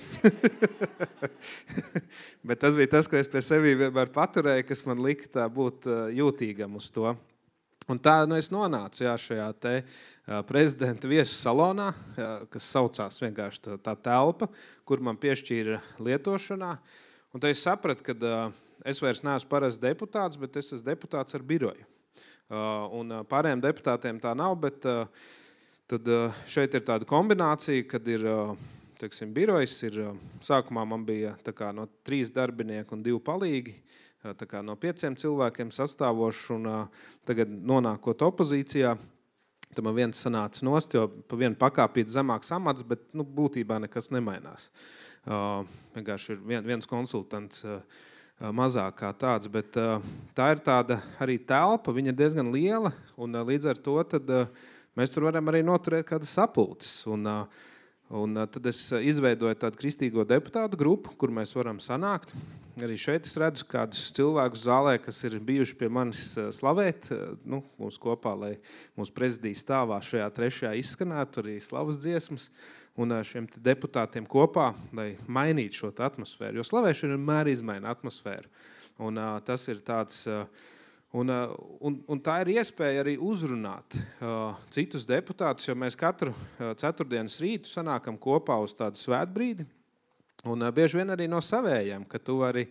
Bet tas bija tas, ko es pie sevi vienmēr paturēju, kas man lika tā būt jūtīgam uz to. Un tā nu, es nonācu jā, šajā te uh, prezidenta viesu salonā, jā, kas saucās vienkārši tā, tā telpa, kur man piešķīra lietošanā. Un tad es sapratu, ka uh, es vairs neesmu parasts deputāts, bet es esmu deputāts ar biroju. Uh, un uh, pārējiem deputātiem tā nav, bet uh, tad, uh, šeit ir tāda kombinācija, kad ir uh, teiksim, birojs. Ir, uh, sākumā man bija tā kā, no trīs darbinieku un divi palīgi. Tā kā no pieciem cilvēkiem sastāvošu un uh, tagad nonākot opozīcijā, tad man viens sanāca nost, jo pa vienu pakāpīt zemāks amats, bet nu, būtībā nekas nemainās. Uh, vienkārši ir vien, viens konsultants uh, mazāk kā tāds, bet uh, tā ir tāda arī telpa, viņa ir diezgan liela un uh, līdz ar to tad, uh, mēs tur varam arī noturēt kādas sapulces. Un, uh, Un tad es izveidoju tādu kristīgo deputātu grupu, kur mēs varam sanākt. Arī šeit es redzu kādus cilvēkus zālē, kas ir bijuši pie manis slavēt, nu, mums kopā, lai mūsu prezidija stāvā šajā trešajā izskanētu arī slavas dziesmas un šiem deputātiem kopā, lai mainītu šo atmosfēru. Jo slavēšana vienmēr izmaina atmosfēru. Un tas ir tāds... Un, un, un tā ir iespēja arī uzrunāt uh, citus deputātus, jo mēs katru uh, ceturtdienas rītu sanākam kopā uz tādu svētbrīdi. Un uh, bieži vien arī no savējiem, ka tu vari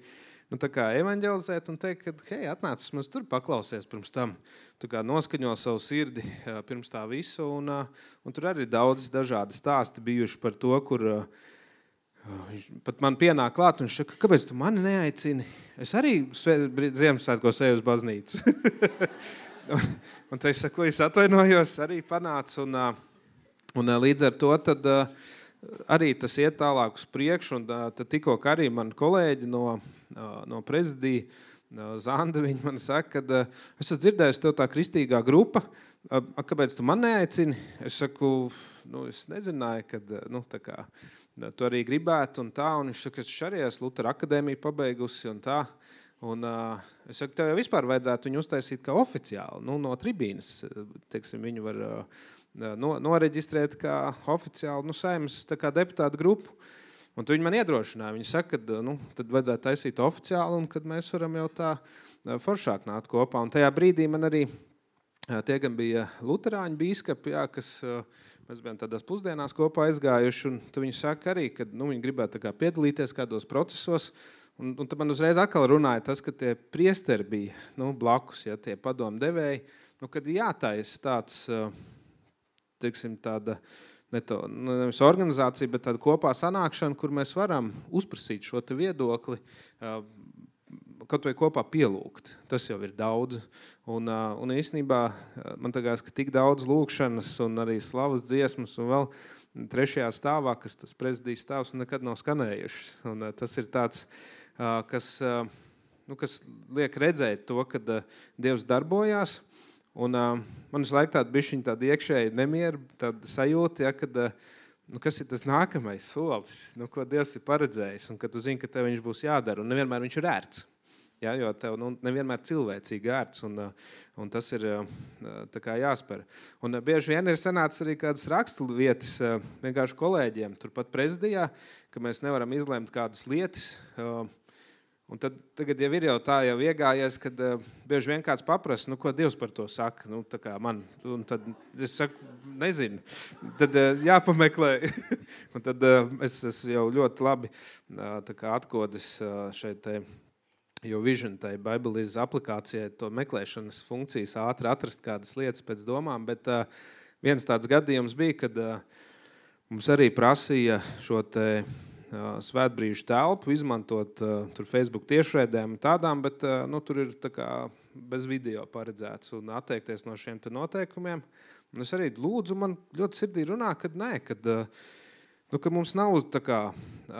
nu, tā kā evanģelizēt un teikt, ka hei, atnācis mums tur paklausies pirms tam. Tu kā noskaņo savu sirdi uh, pirms tā visu. Un, uh, un tur arī daudz dažādi stāsti bijuši par to, kur... Uh, Pat man pienāk klāt un viņš saka, kāpēc tu mani neaicini? Es arī Ziemassvētkos eju uz baznīcu. un, un tad es saku, es atvainojos, arī panācu. Un, un līdz ar to tad arī tas iet tālāk uz priekšu. Un tad tikko arī mani kolēģi no, no prezidija, Zanda, viņi man saka, ka es esmu dzirdējis tev tā kristīgā grupa, kāpēc tu man neaicini? Es saku, nu, es nezināju, kad, nu, tā kā, tu arī gribētu un tā, un viņš saka, es arī esmu Lutera akadēmiju pabeigusi un tā, un uh, es saku, tev jau vispār vajadzētu viņu uztaisīt kā oficiāli, nu, no tribīnas, teiksim, viņu var uh, no, noreģistrēt kā oficiāli, nu, Saeimas tā kā deputātu grupu, un tu viņi man iedrošināja, viņi saka, ka, nu, tad vajadzētu taisīt oficiāli, un kad mēs varam jau tā uh, foršāk nākt kopā, un tajā brīdī man arī uh, tie gan bija luterāņu bīskapi, jā, kas... Uh, Mēs bijām tādās pusdienās kopā aizgājuši, un tad viņi saka arī, ka nu, viņi gribētu tā kā piedalīties kādos procesos. Un, un tad man uzreiz atkal runāja tas, ka tie priesteri bija nu, blakus, ja, tie padomdevēji, nu, kad jātais tāds, teiksim, tāda, ne to, nevis organizācija, bet tāda kopā sanākšana, kur mēs varam uzprasīt šo te viedokli, kaut vai kopā pielūgt. Tas jau ir daudz. Un, un īstenībā man tagad, ka tik daudz lūkšanas un arī slavas dziesmas un vēl trešajā stāvā, kas tas prezidijas stāvs un nekad nav skanējušas. Un tas ir tāds, kas, nu, kas liek redzēt to, kad Dievs darbojās. Un man visu laiku tāda bišķiņa tāda iekšēja nemiera, tāda sajūta, ja, kad, nu, kas ir tas nākamais solis, nu, ko Dievs ir paredzējis un kad tu zini, ka tev viņš būs jādara un nevienmēr viņš ir ērts. Ja, jo tev nu, nevienmēr cilvēcīgi ērts, un, un tas ir tā kā jāspēr. Un bieži vien ir sanācis arī kādas rakstu vietas vienkārši kolēģiem, turpat prezidijā, ka mēs nevaram izlemt kādas lietas. Un tad tagad jau ir jau tā jau iegājies, kad bieži vien kāds paprasa, nu, ko Dievs par to saka, nu, tā kā man. Un tad es saku, nezinu. Tad jāpameklē. Un tad es esmu jau ļoti labi tā kā atkodis šeit te, jo Vision, tai Bibliz aplikācijai, to meklēšanas funkcijas ātri atrast kādas lietas pēc domām, bet uh, viens tāds gadījums bija, kad uh, mums arī prasīja šo te uh, svētbrīžu telpu izmantot uh, tur Facebook tiešraidēm tādām, bet uh, nu, tur ir tā kā bez video paredzēts un atteikties no šiem te noteikumiem. Un es arī lūdzu, man ļoti sirdī runā, kad nē, kad, uh, nu, ka mums nav tā kā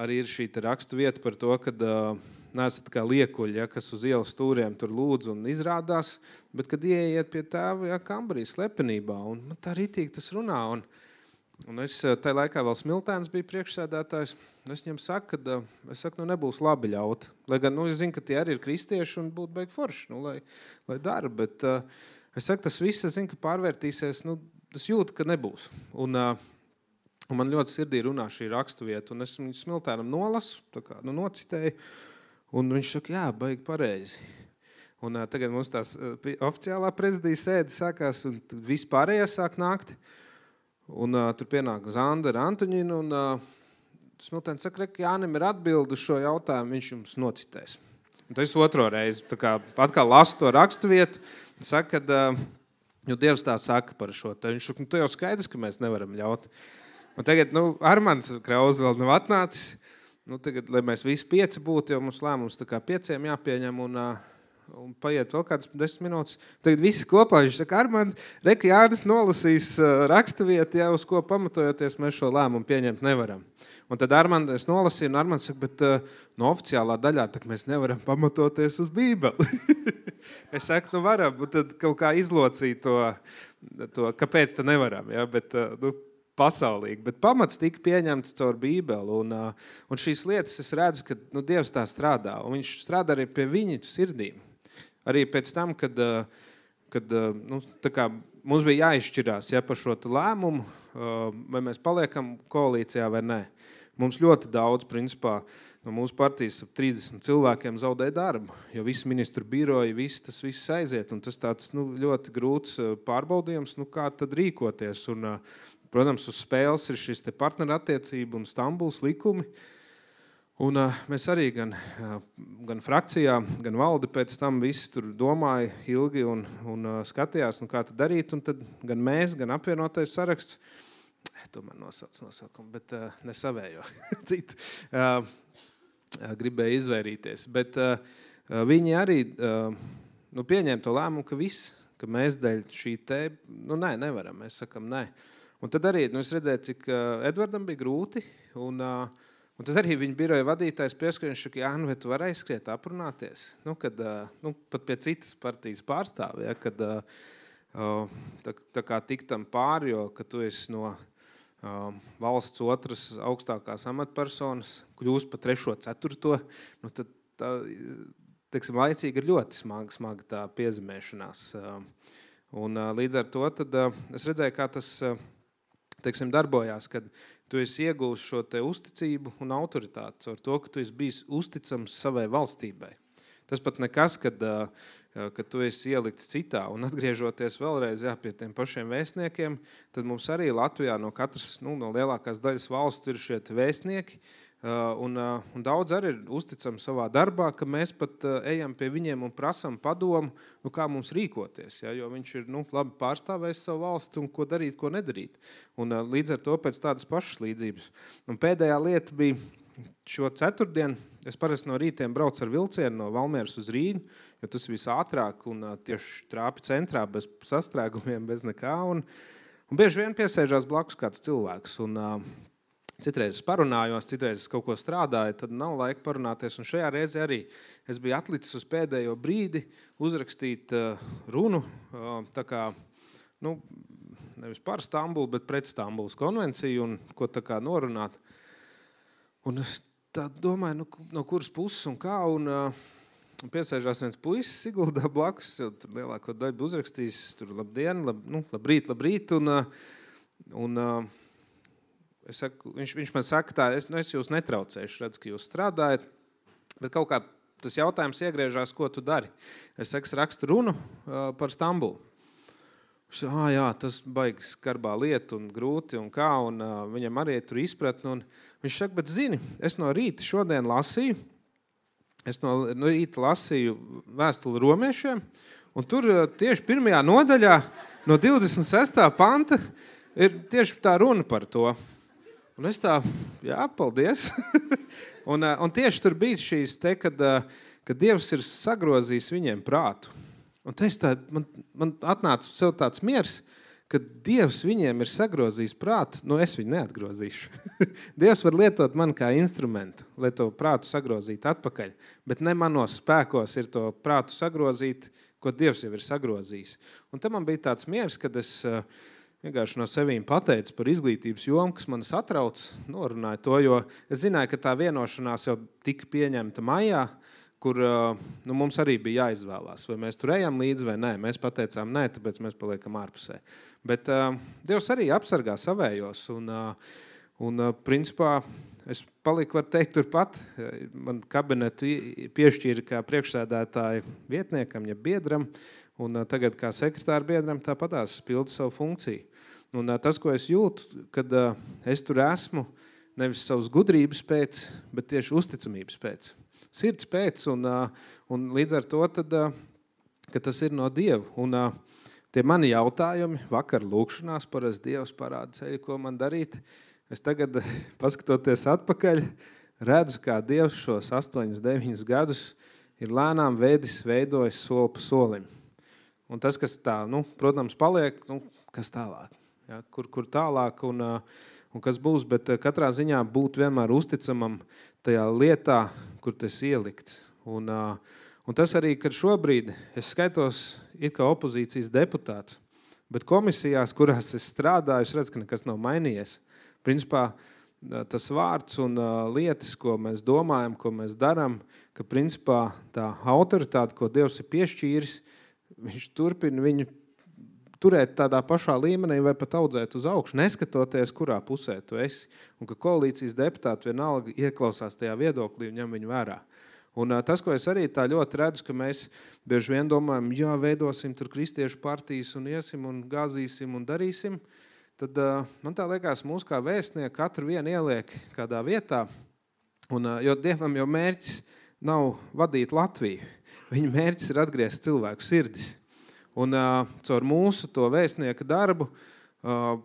arī ir šī te rakstu vieta par to, kad uh, neesat kā liekuļi, ja, kas uz ielas stūriem tur lūdz un izrādās, bet kad ieiet pie tēva, ja, kambarī slepenībā, un man tā ritīgi tas runā, un, un es tajā laikā vēl Smiltēns bija priekšsēdētājs, es viņam saku, ka es saku, nu nebūs labi ļaut, lai gan, nu, es zinu, ka tie arī ir kristieši un būtu baigi forši, nu, lai, lai dara, bet uh, es saku, tas viss, es zinu, ka pārvērtīsies, nu, tas jūtu, ka nebūs, un uh, Un man ļoti sirdī runā šī rakstuvieta, un es viņu Smiltēnam nolasu, tā kā, nu, nocitēju, un viņš saka, jā, baigi pareizi. Un uh, tagad mums tās uh, oficiālā prezidija sēde sākās, un visi pārējie sāk nākt, un uh, tur pienāk Zandera Antoņina, un uh, Smiltēns saka, ka Jānim ir atbildi uz šo jautājumu, viņš jums nocitēs. Un tas otro reizi, tā kā atkal lasu to rakstuvietu, saka, ka uh, jo Dievs tā saka par šo, tā viņš saka, nu, tu jau skaidrs, ka mēs nevaram ļaut. Un tagad, nu, Armands Krauz vēl nav atnācis. Nu, tagad, lai mēs visi pieci būtu, jo mums lēmums tā kā pieciem jāpieņem un, un paiet vēl kādas desmit minūtes. Tagad visi kopā, viņš saka, Armand, reka Jānis nolasīs rakstuvietu, ja, uz ko pamatojoties mēs šo lēmumu pieņemt nevaram. Un tad Armand, es nolasīju, un Armands saka, bet no oficiālā daļā tak mēs nevaram pamatoties uz Bībeli. Es saku, nu varam, un tad kaut kā izlocīja to, to kāpēc tā nevaram, ja, bet, nu, pasaulīgi, bet pamats tika pieņemts caur Bībeli, un, un šīs lietas es redzu, ka nu, Dievs tā strādā, un viņš strādā arī pie viņu sirdīm. Arī pēc tam, kad, kad nu, tā kā mums bija jāizšķirās ja, par šo lēmumu, vai mēs paliekam koalīcijā vai nē. Mums ļoti daudz, principā, no mūsu partijas ap trīsdesmit cilvēkiem zaudēja darbu, jo visi ministru biroji, visi tas viss aiziet, un tas tāds nu, ļoti grūts pārbaudījums, nu, kā tad rīkoties, un protams, uz spēles ir šis te partnerattiecība un Stambuls likumi. Un uh, mēs arī gan, uh, gan frakcijā, gan valde pēc tam visi tur domāja ilgi un, un uh, skatījās, nu, kā tad darīt. Un tad gan mēs, gan apvienotais saraksts, tomēr nosauc nosaukumu, bet uh, ne savējo citu, uh, uh, gribēja izvairīties. Bet uh, viņi arī uh, nu, pieņēma to lēmumu, ka viss, ka mēs dēļ šī te, nu nē, nevaram, mēs sakam nē. Un tad arī, nu, es redzēju, cik uh, Edvardam bija grūti, un, uh, un tad arī viņa biroja vadītājs pieskriņš, ka, jā, nu, vai tu vari aizskriet aprunāties, nu, kad, uh, nu, pat pie citas partijas pārstāvi, ja, kad uh, uh, tā, tā kā tik tam pāri, jo, ka tu esi no uh, valsts otras augstākās amatpersonas, kļūst pa trešo, ceturto, nu, tad tā, teiksim, laicīgi ir ļoti smaga, smaga tā piezemēšanās. Uh, un uh, līdz ar to tad uh, es redzēju, kā tas uh, teiksim, darbojās, kad tu esi iegūst šo te uzticību un autoritāti caur to, ka tu esi bijis uzticams savai valstībai. Tas pat nekas, kad, kad tu esi ielikts citā. Un atgriežoties vēlreiz jā, pie tiem pašiem vēstniekiem, tad mums arī Latvijā no katras, nu, no lielākās daļas valstu ir šie vēstnieki, un, un daudz arī ir uzticami savā darbā, ka mēs pat ejam pie viņiem un prasam padomu, nu, kā mums rīkoties, ja, jo viņš ir nu, labi pārstāvējis savu valsti un ko darīt, ko nedarīt. Un līdz ar to pēc tādas pašas līdzības. Un pēdējā lieta bija šo ceturtdienu, es parasti no rītiem braucu ar vilcienu no Valmieras uz Rīgu, jo tas viss ātrāk un tieši trāpi centrā bez sastrēgumiem, bez nekā. Un, un bieži vien piesēžās blakus kāds cilvēks. Un, Citreiz es parunājos, citreiz es kaut ko strādāju, tad nav laika parunāties. Un šajā reizē arī es biju atlicis uz pēdējo brīdi uzrakstīt uh, runu, uh, tā kā, nu, nevis par Stambulu, bet pret Stambulas konvenciju un ko tā kā norunāt. Un es tā domāju, nu, no kuras puses un kā, un uh, piesēžās viens puisis Siguldā blakus, jau tur lielāko daļu uzrakstījis, tur labdien, lab, nu, labrīt, labrīt, un, uh, un uh, Es saku, viņš, viņš man saka tā, es, nu, es jūs netraucēšu, redzu, ka jūs strādājat, bet kaut kā tas jautājums iegriežās, ko tu dari. Es saku, es rakstu runu uh, par Stambulu. Viņš saka, jā, tas baigi skarbā lieta un grūti un kā, un uh, viņam arī tur izpratni. Un viņš saka, bet zini, es no rīta šodien lasīju, es no, no rīta lasīju vēstuli romiešiem, un tur uh, tieši pirmajā nodaļā no divdesmit sestā panta ir tieši tā runa par to. Un es tā, jā, paldies. un, un tieši tur bija šīs te, kad, kad Dievs ir sagrozījis viņiem prātu. Un es tā, man, man atnāca sev tāds miers, kad Dievs viņiem ir sagrozījis prātu, nu es viņu neatgrozīšu. Dievs var lietot mani kā instrumentu, lai to prātu sagrozītu atpakaļ, bet ne manos spēkos ir to prātu sagrozīt, ko Dievs jau ir sagrozījis. Un te man bija tāds miers, kad es vienkārši no sevīm pateicu par izglītības jomu, kas manis atrauc, norunāju to, jo es zināju, ka tā vienošanās jau tika pieņemta maijā, kur nu, mums arī bija jāizvēlās, vai mēs tur ejam līdzi vai nē. Mēs pateicām nē, tāpēc mēs paliekam ārpusē. Bet uh, Dievs arī apsargā savējos, un, uh, un uh, principā es paliku, var teikt, turpat. Man kabinetu piešķīra kā priekšsēdētāju vietniekam, ja biedram, un uh, tagad kā sekretāra biedram tāpatās pildu savu funkciju. Un uh, tas, ko es jūtu, kad uh, es tur esmu, nevis savas gudrības pēc, bet tieši uzticamības pēc. Sirds pēc, un, un līdz ar to, tad, ka tas ir no Dieva. Un tie mani jautājumi, vakar lūkšanās, parasti Dievs parāda ceļu, ko man darīt. Es tagad, paskatoties atpakaļ, redzu, kā Dievs šos astoņus, deviņus gadus ir lēnām veidis, veidojis soli pa solim. Un tas, kas tā, nu, protams, paliek, nu, kas tālāk, ja, kur, kur tālāk un, un kas būs, bet katrā ziņā būt vienmēr uzticamam tajā lietā, kur tas ielikts. Un, un tas arī, kad šobrīd es skaitos it kā opozīcijas deputāts, bet komisijās, kurās es strādāju, es redzu, ka nekas nav mainījies. Principā tas vārds un lietas, ko mēs domājam, ko mēs daram, ka principā tā autoritāte, ko Dievs ir piešķīris, viņš turpina viņu turēt tādā pašā līmenī vai pat audzēt uz augšu, neskatoties, kurā pusē tu esi. Un ka koalīcijas deputāti vienalga ieklausās tajā viedoklī un ņem viņu vērā. Un tas, ko es arī tā ļoti redzu, ka mēs bieži vien domājam, jā, veidosim tur kristiešu partijas un iesim un gāzīsim un darīsim, tad man tā liekas, mūs kā vēstnieki katru vienu ieliek kādā vietā, un, jo Dievam jau mērķis nav vadīt Latviju. Viņa mērķis ir atgriezt cilvēku sirdis. Un uh, caur mūsu to vēstnieka darbu uh,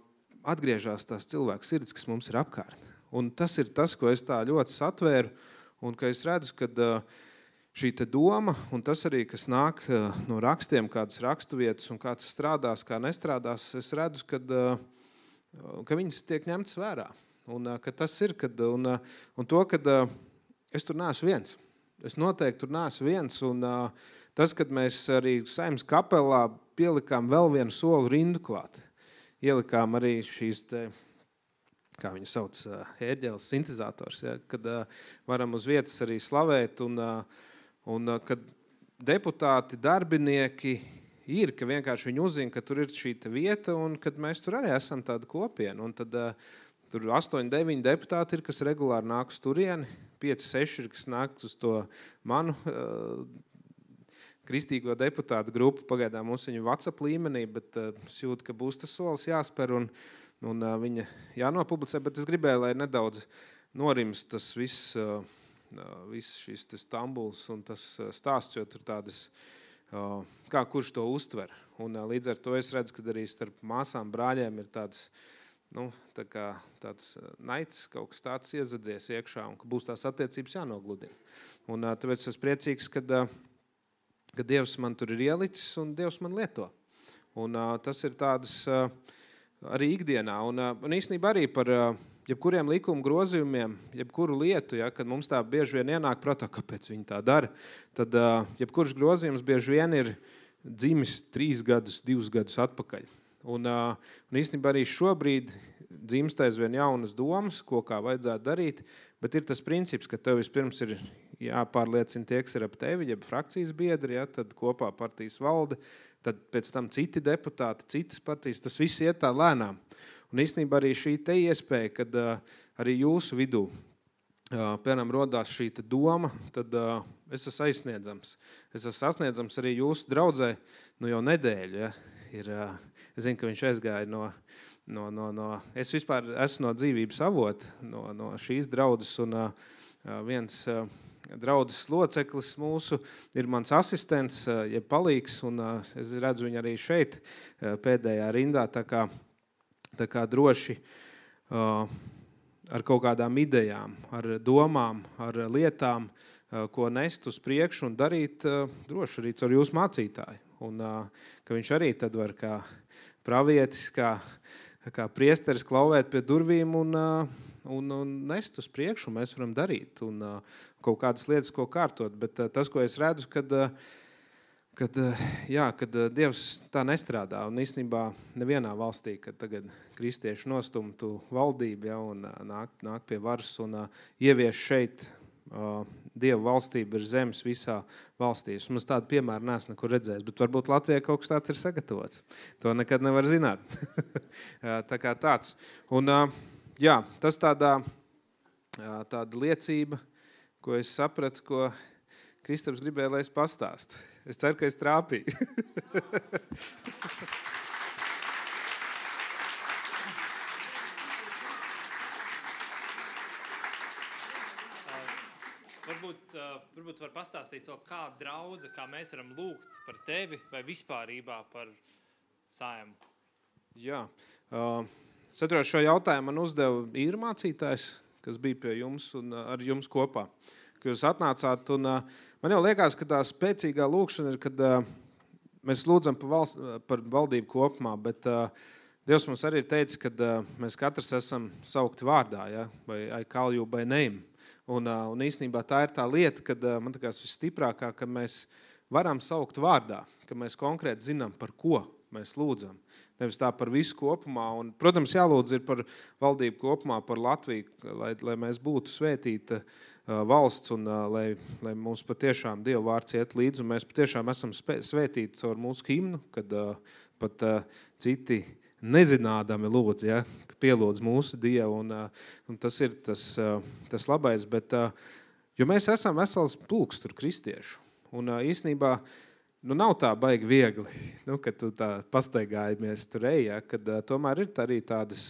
atgriežās tās cilvēku sirds, kas mums ir apkārt. Un tas ir tas, ko es tā ļoti satvēru, un ka es redzu, ka uh, šī te doma, un tas arī, kas nāk uh, no rakstiem, kādas raksturvietas un kā tas strādās, kā nestrādās, es redzu, kad, uh, ka viņas tiek ņemtas vērā. Un uh, ka tas ir, kad, un, uh, un to, kad uh, es tur neesmu viens. Es noteikti tur neesmu viens, un uh, tas, kad mēs arī Saeimas kapelā pielikām vēl vienu soli rindu klāt. Ielikām arī šīs, te, kā viņu sauc, ērģeles sintezators, ja, kad uh, varam uz vietas arī slavēt, un, uh, un uh, kad deputāti, darbinieki ir, ka vienkārši viņi uzzina, ka tur ir šī vieta, un kad mēs tur arī esam tāda kopiena. Un tad uh, tur astoņi, deviņi deputāti ir, kas regulāri nāk uz turieni, pieci, seši ir, kas nāk uz to manu uh, kristīgo deputātu grupu. Pagaidām mums viņu WhatsApp līmenī, bet uh, es jūtu, ka būs tas solis jāspēr un, un uh, viņa jānopublicē, bet es gribēju, lai nedaudz norims tas viss, uh, viss šis Stambuls un tas stāsts, jo tur tādas, uh, kā kurš to uztver. Un uh, līdz ar to es redzu, ka arī starp māsām, brāļiem ir tāds, nu, tā kā tāds naids, kaut kas tāds iezadzies iekšā, un ka būs tās attiecības jānogludina. Un uh, tāpēc es priecīgs, kad uh, ka Dievs man tur ir ielicis un Dievs man lieto. Un uh, tas ir tādas uh, arī ikdienā. Un, uh, un īstenībā arī par uh, jebkuriem likuma grozījumiem, jebkuru lietu, ja, kad mums tā bieži vien ienāk prātā, kāpēc viņi tā dara, tad uh, jebkurš grozījums bieži vien ir dzimis trīs gadus, divus gadus atpakaļ. Un, uh, un īstenībā arī šobrīd dzimst aizvien jaunas domas, ko kā vajadzētu darīt, bet ir tas princips, ka tev vispirms ir jāpārliecina tie, kas ir ap tevi, jeb frakcijas biedri, ja, tad kopā partijas valde, tad pēc tam citi deputāti, citas partijas, tas viss iet tā lēnām. Un īstenībā arī šī te iespēja, kad uh, arī jūsu vidū, uh, piemēram, rodās šī te doma, tad uh, es esmu aizsniedzams. Es esmu sasniedzams arī jūsu draudzē, nu jau nedēļu, ja, ir, uh, es zinu, ka viņš aizgāja no, no, no, no, es vispār esmu no dzīvības avota, no, no šīs draudzes, un uh, viens uh, draudzes loceklis mūsu ir mans asistents, ja palīgs, un es redzu viņu arī šeit pēdējā rindā, tā kā, tā kā droši ar kaut kādām idejām, ar domām, ar lietām, ko nest uz priekšu un darīt droši arī caur jūsu mācītāju. un ka viņš arī tad var kā pravietis, kā, kā priesteris klauvēt pie durvīm un, un, un nest uz priekšu, mēs varam darīt un kaut kādas lietas, ko kārtot. Bet tas, ko es redzu, kad, kad, jā, kad Dievs tā nestrādā un īstenībā nevienā valstī, kad tagad kristieši nostumtu valdību, ja, un nāk, nāk pie varas un ievieš šeit Dieva valstība ir zemes visā valstīs. Mums tādu piemēru neesmu nekur redzējis, bet varbūt Latvijā kaut kas tāds ir sagatavots. To nekad nevar zināt. Tā kā tāds. Un, jā, tas tādā, tāda liecība, ko es sapratu, ko Kristaps gribēja, lai es pastāstu. Es ceru, ka es trāpīju. Varbūt, uh, varbūt var pastāstīt to, kā draudze, kā mēs varam lūgt par tevi vai vispārībā par Saimu. Jā. Uh, es atceros, šo jautājumu man uzdeva īra mācītājs, kas bija pie jums un uh, ar jums kopā. Ka jūs atnācāt un uh, man jau liekas, ka tā spēcīgā lūkšana ir, kad uh, mēs lūdzam par, valsts, par valdību kopumā, bet uh, Dievs mums arī ir teicis, ka uh, mēs katrs esam saukti vārdā, ja? Vai I call you by name. Un, un īstenībā tā ir tā lieta, kad man liekas visstiprākā, ka mēs varam saukt vārdā, ka mēs konkrēti zinām, par ko mēs lūdzam. Nevis tā par visu kopumā. Un, protams, jālūdz ir par valdību kopumā, par Latviju, lai, lai mēs būtu svētīta valsts un lai, lai mums patiešām Dieva vārds iet līdzi. Un mēs patiešām esam svētīti caur mūsu himnu, kad pat citi nezinādami lūdz, ja, ka pielūdz mūsu Dievu, un, un tas ir tas, tas labais, bet, jo mēs esam vesels pulks tur kristiešu, un īstenībā, nu, nav tā baigi viegli, nu, kad tu tā pastaigājamies tur ej, ja, kad tomēr ir arī tādas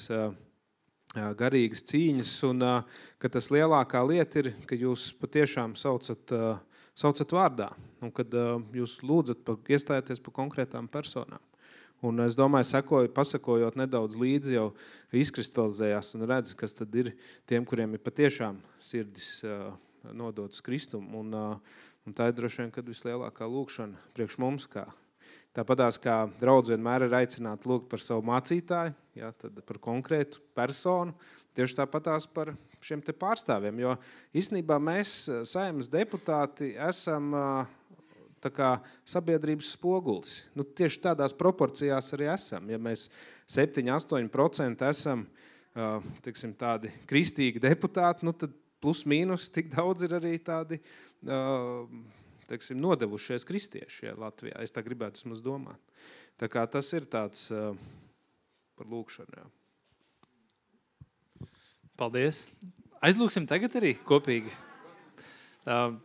garīgas cīņas, un ka tas lielākā lieta ir, ka jūs patiešām saucat, saucat vārdā, un kad jūs lūdzat, iestājaties par konkrētām personām. Un es domāju, sekoju, pasakojot nedaudz līdzi, jau izkristalizējās un redz, kas tad ir tiem, kuriem ir patiešām sirdis uh, nodotas Kristumu. Un, uh, un tā ir droši vien, kad vislielākā lūkšana priekš mums. Kā. Tāpatās, kā draudz vienmēr ir aicināti lūgt par savu mācītāju, ja, tad par konkrētu personu, tieši tāpatās par šiem te pārstāvjiem. Jo īstenībā mēs, Saeimas deputāti, esam uh, tā kā sabiedrības spogulis. Nu, tieši tādās proporcijās arī esam. Ja mēs septiņi astoņi procenti esam uh, tiksim, tādi kristīgi deputāti, nu, tad plus mīnus tik daudz ir arī tādi uh, tiksim, nodevušies kristieši ja, Latvijā. Es tā gribētu vismaz domāt. Tā kā tas ir tāds uh, par lūkšanu. Jā. Paldies. Aizlūksim tagad arī kopīgi. Uh,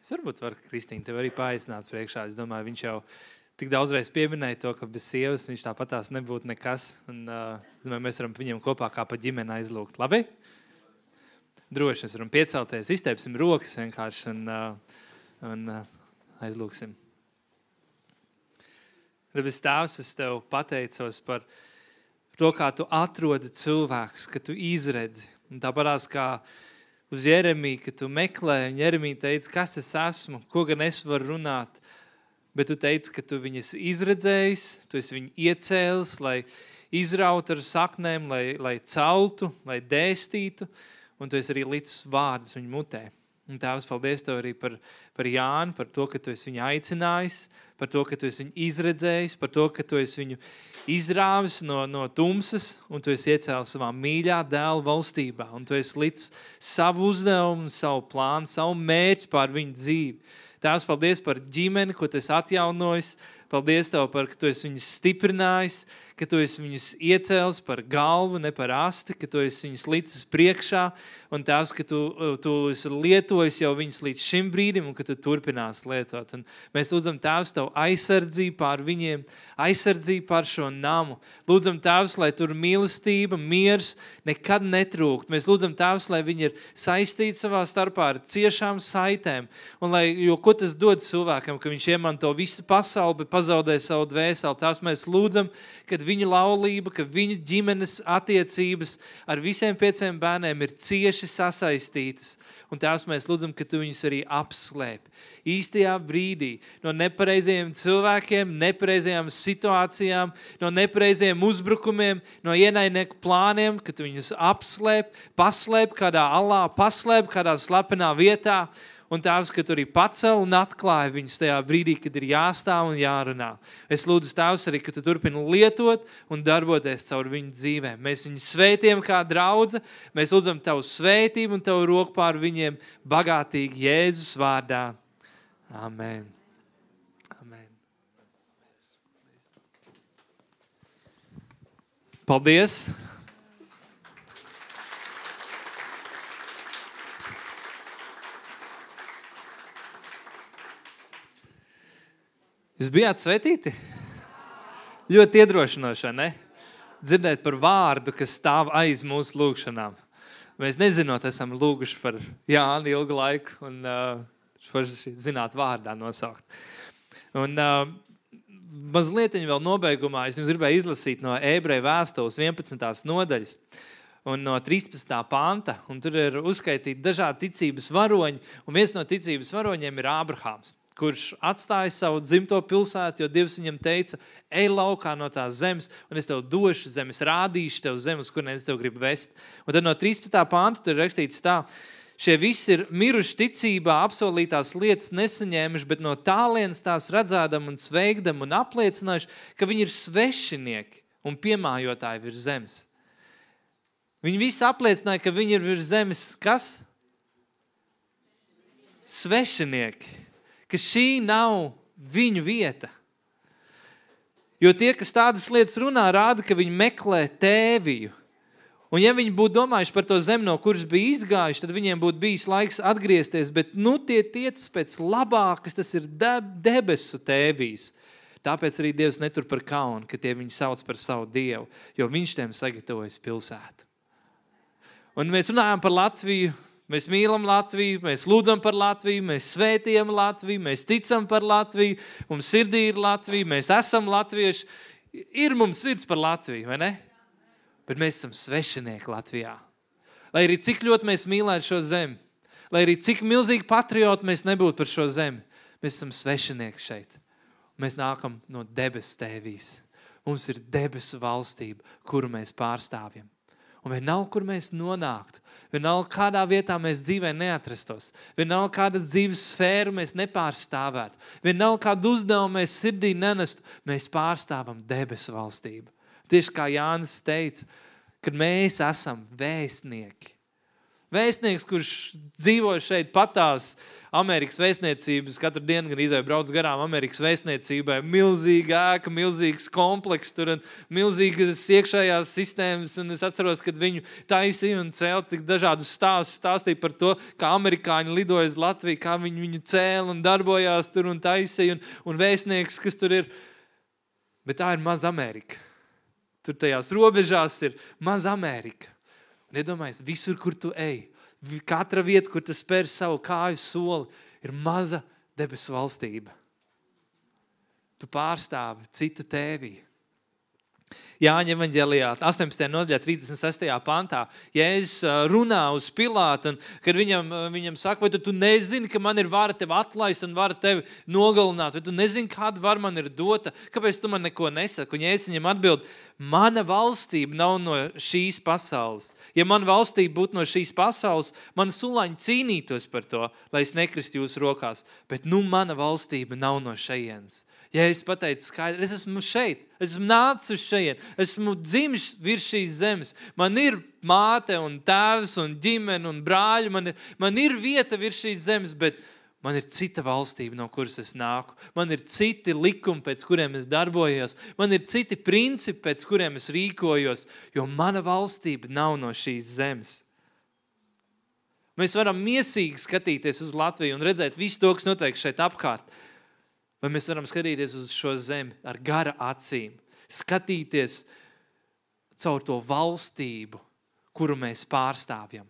Es varbūt varu, Kristīna, tev arī paaicināt priekšā. Es domāju, viņš jau tik daudzreiz pieminēja to, ka bez sievas viņš tāpatās nebūtu nekas. Un, uh, domāju, mēs varam viņam kopā kā pa ģimeni aizlūgt. Labi? Droši, mēs varam piecelties, izteipsim rokas vienkārši un, uh, un uh, aizlūksim. Debes Tēvs, es tev pateicos par to, kā tu atrodi cilvēkus, ka tu izredzi. Un tāpatās kā uz Jeremiju, ka tu meklē, un Jeremija teica, kas es esmu, ko gan es varu runāt, bet tu teici, ka tu viņas izredzējis, tu esi viņu iecēlis, lai izraut ar saknēm, lai, lai celtu, lai dēstītu, un tu esi arī licis vārdus viņu mutē. Un Tēvs, paldies tev arī par, par Jānu, par to, ka tu esi viņu aicinājis, par to, ka tu esi viņu izredzējis, par to, ka tu esi viņu izrāvis no, no tumsas, un tu esi iecēlis savā mīļā dēla valstībā, un tu esi licis savu uzdevumu, savu plānu, savu mērķi pār viņu dzīvi. Tēvs, paldies par ģimeni, ko tu esi atjaunojis, paldies tev par, ka tu esi viņus stiprinājis, ka tu esi viņus iecēlis par galvu, ne par asti, ka tu esi viņus licis priekšā, un Tēvs, ka tu, tu esi lietojis jau viņus līdz šim brīdim, un ka tu turpinās lietot. Un mēs lūdzam, Tēvs, tev aizsardzību pār viņiem, aizsardzību pār šo namu. Lūdzam, Tēvs, lai tur mīlestība, miers nekad netrūkt. Mēs lūdzam, Tēvs, lai viņi ir saistīti savā starpā ar ciešām saitēm, un lai, jo ko tas dod cilvēkam, ka viņš iemanto visu pasauli, bet pazaudē savu dvēseli. Tās mēs lūdzam, kad viņa laulība, ka viņa ģimenes attiecības ar visiem pieciem bērniem ir cieši sasaistītas. Un tās mēs lūdzam, ka tu viņus arī apslēp. Īstajā brīdī no nepareizajiem cilvēkiem, nepareizajām situācijām, no nepareizajiem uzbrukumiem, no ienaidnieku plāniem, ka tu viņus apslēp, paslēp kādā alā, paslēp kādā slepenā vietā. Un Tēvs, ka tu arī pacel un atklāja viņus tajā brīdī, kad ir jāstāv un jārunā. Es lūdzu, Tēvs, arī, ka tu turpini lietot un darboties caur viņu dzīvēm. Mēs viņu svētījam kā draudze, mēs lūdzam Tavu svētību un Tavu roku pār viņiem bagātīgi Jēzus vārdā. Amen. Amen. Paldies! Jūs bijāt svētīti? Ļoti iedrošinoši, ne? Dzirdēt par vārdu, kas stāv aiz mūsu lūgšanām. Mēs nezinot, esam lūguši par Jāni ilgu laiku un uh, zināt vārdā nosaukt. Un uh, mazliet vēl nobeigumā es jums gribēju izlasīt no Ebreju vēstules vienpadsmitās nodaļas un no trīspadsmitā panta. Un tur ir uzskaitīti dažādi ticības varoņi, un viens no ticības varoņiem ir Ābrahāms, kurš atstāja savu dzimto pilsētu, jo Dievs viņam teica, ej laukā no tās zemes, un es tev došu zemi, es rādīšu tev zemi, uz kurien es tev gribu vest. Un tad no trīspadsmitā panta tur ir rakstīts tā, šie visi ir miruši ticībā, apsolītās lietas nesaņēmuši, bet no tālienes tās redzēdam un sveikdam un apliecinājuši, ka viņi ir svešinieki un piemājotāji virs zemes. Viņi visi apliecināja, ka viņi ir virs zemes, kas? Svešinieki. Ka šī nav viņu vieta. Jo tie, kas tādas lietas runā, rāda, ka viņi meklē tēviju. Un ja viņi būtu domājuši par to zemi, no kuras bija izgājuši, tad viņiem būtu bijis laiks atgriezties, bet nu tie tiecas pēc labākas, tas ir debesu tēvijas. Tāpēc arī Dievs netur par kaunu, ka tie viņu sauc par savu Dievu, jo viņš tiem sagatavojas pilsētu. Un mēs runājam par Latviju. Mēs mīlam Latviju, mēs lūdzam par Latviju, mēs svētījam Latviju, mēs ticam par Latviju, mums sirdī ir Latvija, mēs esam latvieši. Ir mums sirds par Latviju, vai ne? Bet mēs esam svešinieki Latvijā. Lai arī cik ļoti mēs mīlētu šo zemi, lai arī cik milzīgi patrioti mēs nebūtu par šo zemi, mēs esam svešinieki šeit. Mēs nākam no debesu tēvijas. Mums ir debesu valstība, kuru mēs pārstāvjam. Un vienalga, kur mēs nonāktu, vienalga, kādā vietā mēs dzīvē neatrastos, vienalga, kādas dzīves sfēru mēs nepārstāvētu, vienalga, kādu uzdevumu mēs sirdī nenestu, mēs pārstāvam debesu valstību. Tieši kā Jānis teica, kad mēs esam vēstnieki. Vēstnieks, kurš dzīvo šeit patās Amerikas vēstniecības, katru dienu gan izvēja brauc garām Amerikas vēstniecībai, milzīga ēka, milzīgs kompleks, tur un milzīgas iekšējās sistēmas, un es atceros, kad viņu taisīja un cēla tik dažādus stāstus, stāstīja par to, kā amerikāņi lidoja uz Latviju, kā viņi viņu cēla un darbojās tur un taisīja, un, un vēstnieks, kas tur ir. Bet tā ir maza Amerika. Tur tajās robežās ir maza Amerika. Un iedomājies, visur, kur tu ej, katra vieta, kur tu spēr savu kāju soli, ir maza debesu valstība. Tu pārstāvi citu tēviju. Jāņa evaņģelijā, astoņpadsmitajā nodaļā, trīsdesmit sestajā pantā, Jēzus runā uz Pilātu, un kad viņam, viņam saka, vai tu, tu nezini, ka man ir vara tevi atlaist un vara tevi nogalināt, vai tu nezini, kāda vara man ir dota, kāpēc tu man neko nesaki? Un Jēzus viņam atbild, mana valstība nav no šīs pasaules. Ja mana valstība būtu no šīs pasaules, man sulaņi cīnītos par to, lai es nekristu jūsu rokās, bet nu mana valstība nav no šejienes. Ja es pateicu skaidri, es esmu šeit, es esmu nācis uz šeit, esmu dzimis virs šīs zemes, man ir māte un tēvs un ģimene un brāļi, man ir, man ir vieta virs šīs zemes, bet man ir cita valstība, no kuras es nāku. Man ir citi likumi, pēc kuriem es darbojos, man ir citi principi, pēc kuriem es rīkojos, jo mana valstība nav no šīs zemes. Mēs varam miesīgi skatīties uz Latviju un redzēt visu to, kas notiek šeit apkārt. Vai mēs varam skatīties uz šo zemi ar gara acīm, skatīties caur to valstību, kuru mēs pārstāvjam.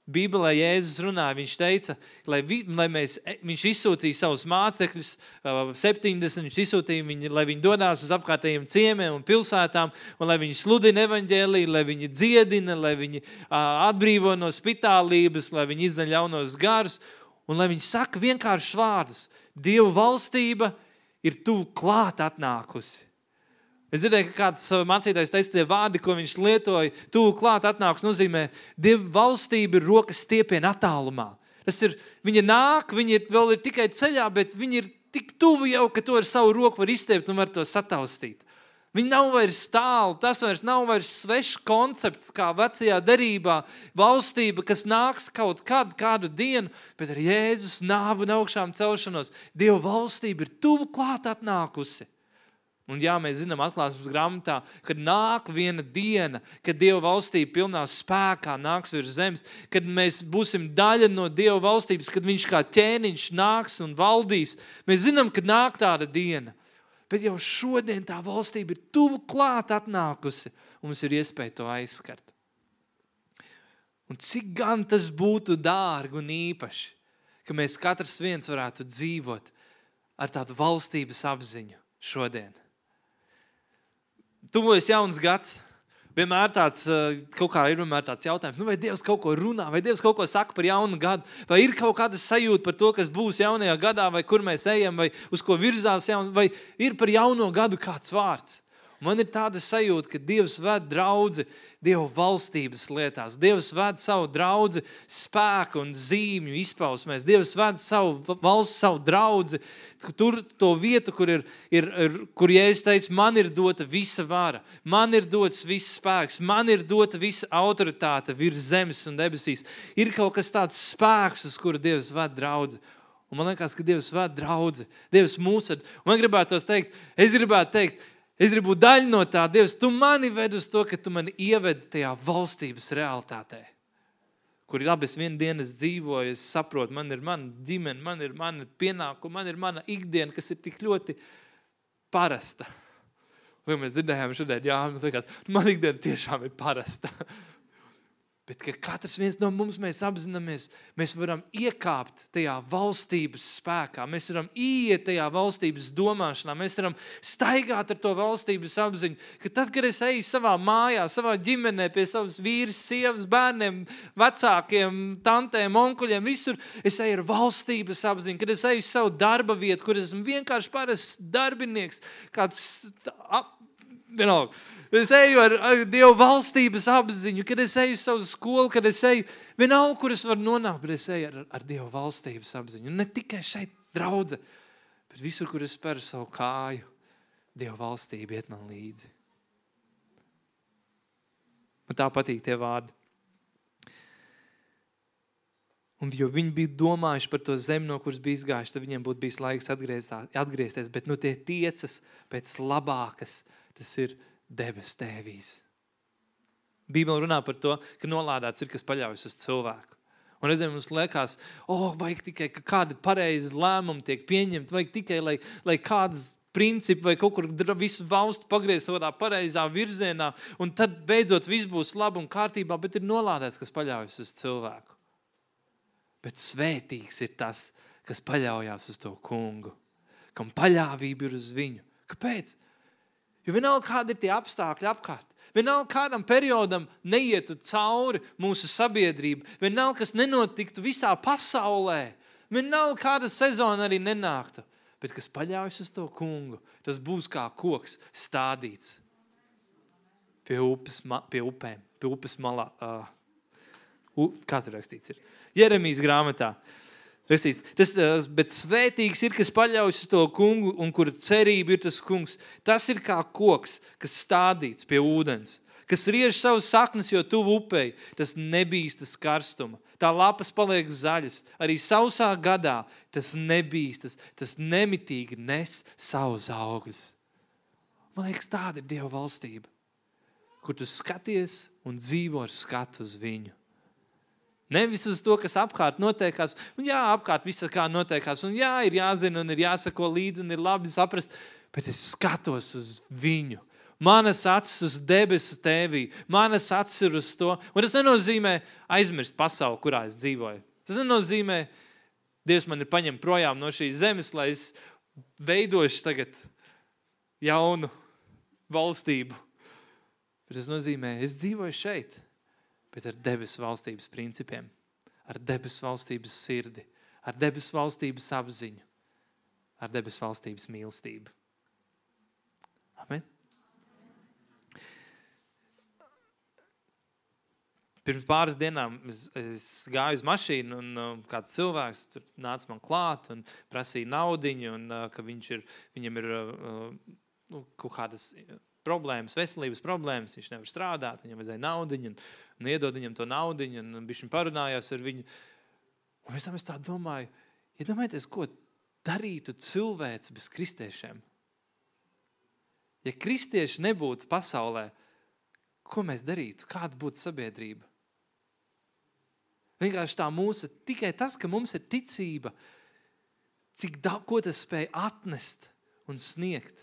Bībelē Jēzus runāja, viņš teica, lai, vi, lai mēs, viņš izsūtīja savus mācekļus, septiņdesmit, viņš izsūtīja viņi, lai viņi dodās uz apkārtējiem ciemiem un pilsētām, un lai viņi sludina evaņģēliju, lai viņi dziedina, lai viņi atbrīvo no spitālības, lai viņi izdaļ ļaunos garus, un lai viņi saka vienkāršus vārdus. Dieva valstība ir tuvu klāt atnākusi. Es dzirdēju, ka kāds mācītājs teica, tie vārdi, ko viņš lietoja, tuvu klāt atnāks, nozīmē, Dieva valstība ir rokas stiepiena attālumā. Tas ir, viņa nāk, viņa ir, vēl ir tikai ceļā, bet viņa ir tik tuvu jau, ka to ar savu roku var izstiept un var to sataustīt. Viņa nav vairs tālu, tas vairs nav vairs svešs koncepts, kā vecajā derībā, valstība, kas nāks kaut kad, kādu dienu, bet ar Jēzus nāvu un augšām celšanos. Dieva valstība ir tuvu klāt atnākusi. Un jā, mēs zinām atklāsmes grāmatā, kad nāk viena diena, kad Dieva valstība pilnā spēkā nāks virs zemes, kad mēs būsim daļa no Dieva valstības, kad viņš kā ķēniņš nāks un valdīs. Mēs zinām, kad nāk tāda diena. Bet jau šodien tā valstība ir tuvu klāt atnākusi, un mums ir iespēja to aizskart. Un cik gan tas būtu dārgi un īpaši, ka mēs katrs viens varētu dzīvot ar tādu valstības apziņu šodien. Tuvojas jauns gads, vienmēr tāds, kaut kā ir vienmēr tāds jautājums, nu vai Dievs kaut ko runā, vai Dievs kaut ko saka par jaunu gadu, vai ir kaut kāda sajūta par to, kas būs jaunajā gadā, vai kur mēs ejam, vai uz ko virzās jauns, vai ir par jauno gadu kāds vārds. Man ir tāda sajūta, ka Dievs ved draudzi Dieva valstības lietās. Dievs ved savu draudzi spēku un zīmju izpausmēs. Dievs ved savu valsts, savu draudzi, tur to vietu, kur ir, ir, ir kur Jēzus teica, man ir dota visa vara, man ir dots viss spēks, man ir dota visa autoritāte virs zemes un debesīs. Ir kaut kas tāds spēks, uz kuru Dievs ved draudzi. Un man liekas, ka Dievs ved draudzi. Dievs mūs ved. Un man gribētu tos teikt, es gribētu teikt, Es gribu būt daļa no tā, Dievs, tu mani ved uz to, ka tu mani ievedi tajā valstības realitātē, kur ir abas vienu dienas dzīvoju, es saprotu, man ir mana ģimene, man ir mana pienākuma, man ir mana ikdiena, kas ir tik ļoti parasta. Un mēs dzirdējām šodien, jā, man liekas, man ikdiena tiešām ir parasta. Bet, ka katrs viens no mums mēs apzināmies, mēs varam iekāpt tajā valstības spēkā, mēs varam ieiet tajā valstības domāšanā, mēs varam staigāt ar to valstības apziņu, ka tad, kad es eju savā mājā, savā ģimenē, pie savas vīras, sievas, bērniem, vecākiem, tantēm, onkuļiem, visur, es eju ar valstības apziņu, kad es eju uz savu darba vietu, kur esmu vienkārši parasts darbinieks, kāds, you know, es eju ar, ar Dievu valstības apziņu, kad es eju savu skolu, kad es eju vienalga, kur es varu nonākt, bet es eju ar, ar Dievu valstības apziņu. Un ne tikai šeit draudze, bet visur, kur es speru savu kāju, Dievu valstība iet man līdzi. Man tā patīk tie vārdi. Un jo viņi bija domājuši par to zemi, no kuras bija izgājuši, tad viņiem būtu bijis laiks atgriezties, bet nu tie tiecas pēc labākas, tas ir debes tēvīs. Bībele runā par to, ka nolādēts ir, kas paļaujas uz cilvēku. Un reizēm mums liekas, oh, vajag tikai, ka kādi pareizi lēmumi tiek pieņemti, vajag tikai, lai, lai kādas principi vai kaut kur visu valstu pagriez tādā pareizā virzienā, un tad beidzot viss būs labi un kārtībā, bet ir nolādēts, kas paļaujas uz cilvēku. Bet svētīgs ir tas, kas paļaujās uz to kungu, kam paļāvība ir uz viņu. Kāpēc? Jo vienalga, kādi ir tie apstākļi apkārt, vienalga, kādam periodam neietu cauri mūsu sabiedrība, vienalga, kas nenotiktu visā pasaulē, vienalga, kāda sezona arī nenāktu, bet kas paļaujas uz to kungu, tas būs kā koks stādīts pie upes, pie upēm, pie upes malā. Uh, kā tur rakstīts ir? Jeremijas grāmatā. Rakstīts, tas, bet svētīgs ir, kas paļaujas uz to kungu un kura cerība ir tas kungs. Tas ir kā koks, kas stādīts pie ūdens, kas riež savus saknes, jo tuvu upei, tas nebīstas karstuma. Tā lapas paliek zaļas, arī sausā gadā tas nebīstas, tas nemitīgi nes savus augļus. Man liekas, tāda ir Dieva valstība, kur tu skaties un dzīvo ar skatu uz viņu. Nevis uz to, kas apkārt notiekās. Un jā, apkārt viss kā notiekās. Un jā, ir jāzina un ir jāsako līdzi un ir labi saprast. Bet es skatos uz viņu. Manas acis uz debesu tēvī, manas acis ir uz to. Un tas nenozīmē aizmirst pasauli, kurā es dzīvoju. Tas nenozīmē, Dievs man ir paņem projām no šīs zemes, lai es veidošu tagad jaunu valstību. Bet tas nozīmē, es dzīvoju šeit, bet ar debesu valstības principiem, ar debesu valstības sirdi, ar debesu valstības apziņu, ar debesu valstības mīlestību. Amen. Pirms pāris dienām es, es gāju uz mašīnu un uh, kāds cilvēks tur nāca man klāt un prasīja naudiņu un uh, ka viņš ir, viņam ir uh, uh, kaut kādas problēmas, veselības problēmas, viņš nevar strādāt, viņam vajadzēja naudiņu un, un iedod viņam to naudiņu un, un bišķiņ parunājās ar viņu. Un es tam es tā domāju, iedomājieties, ko darītu cilvēks bez kristiešiem? Ja kristieši nebūtu pasaulē, ko mēs darītu? Kāda būtu sabiedrība? Vienkārši tā mūsu, tikai tas, ka mums ir ticība, cik da, ko tas spēj atnest un sniegt.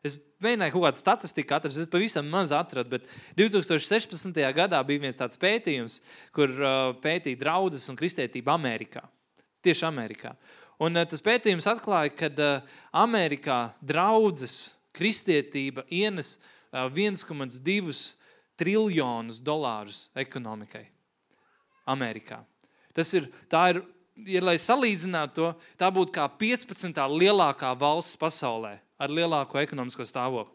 Es mēģināju kaut kādu statistiku atrast, es pavisam maz atradu, bet divi tūkstoši sešpadsmitajā gadā bija viens tāds pētījums, kur uh, pētīja draudzes un kristietību Amerikā. Tieši Amerikā. Un uh, tas pētījums atklāja, ka uh, Amerikā draudzes kristietība ienes uh, viens komā divi triljonus dolārus ekonomikai Amerikā. Tas ir, tā ir, ja, lai salīdzinātu to, tā būtu kā piecpadsmitā lielākā valsts pasaulē ar lielāko ekonomisko stāvokli.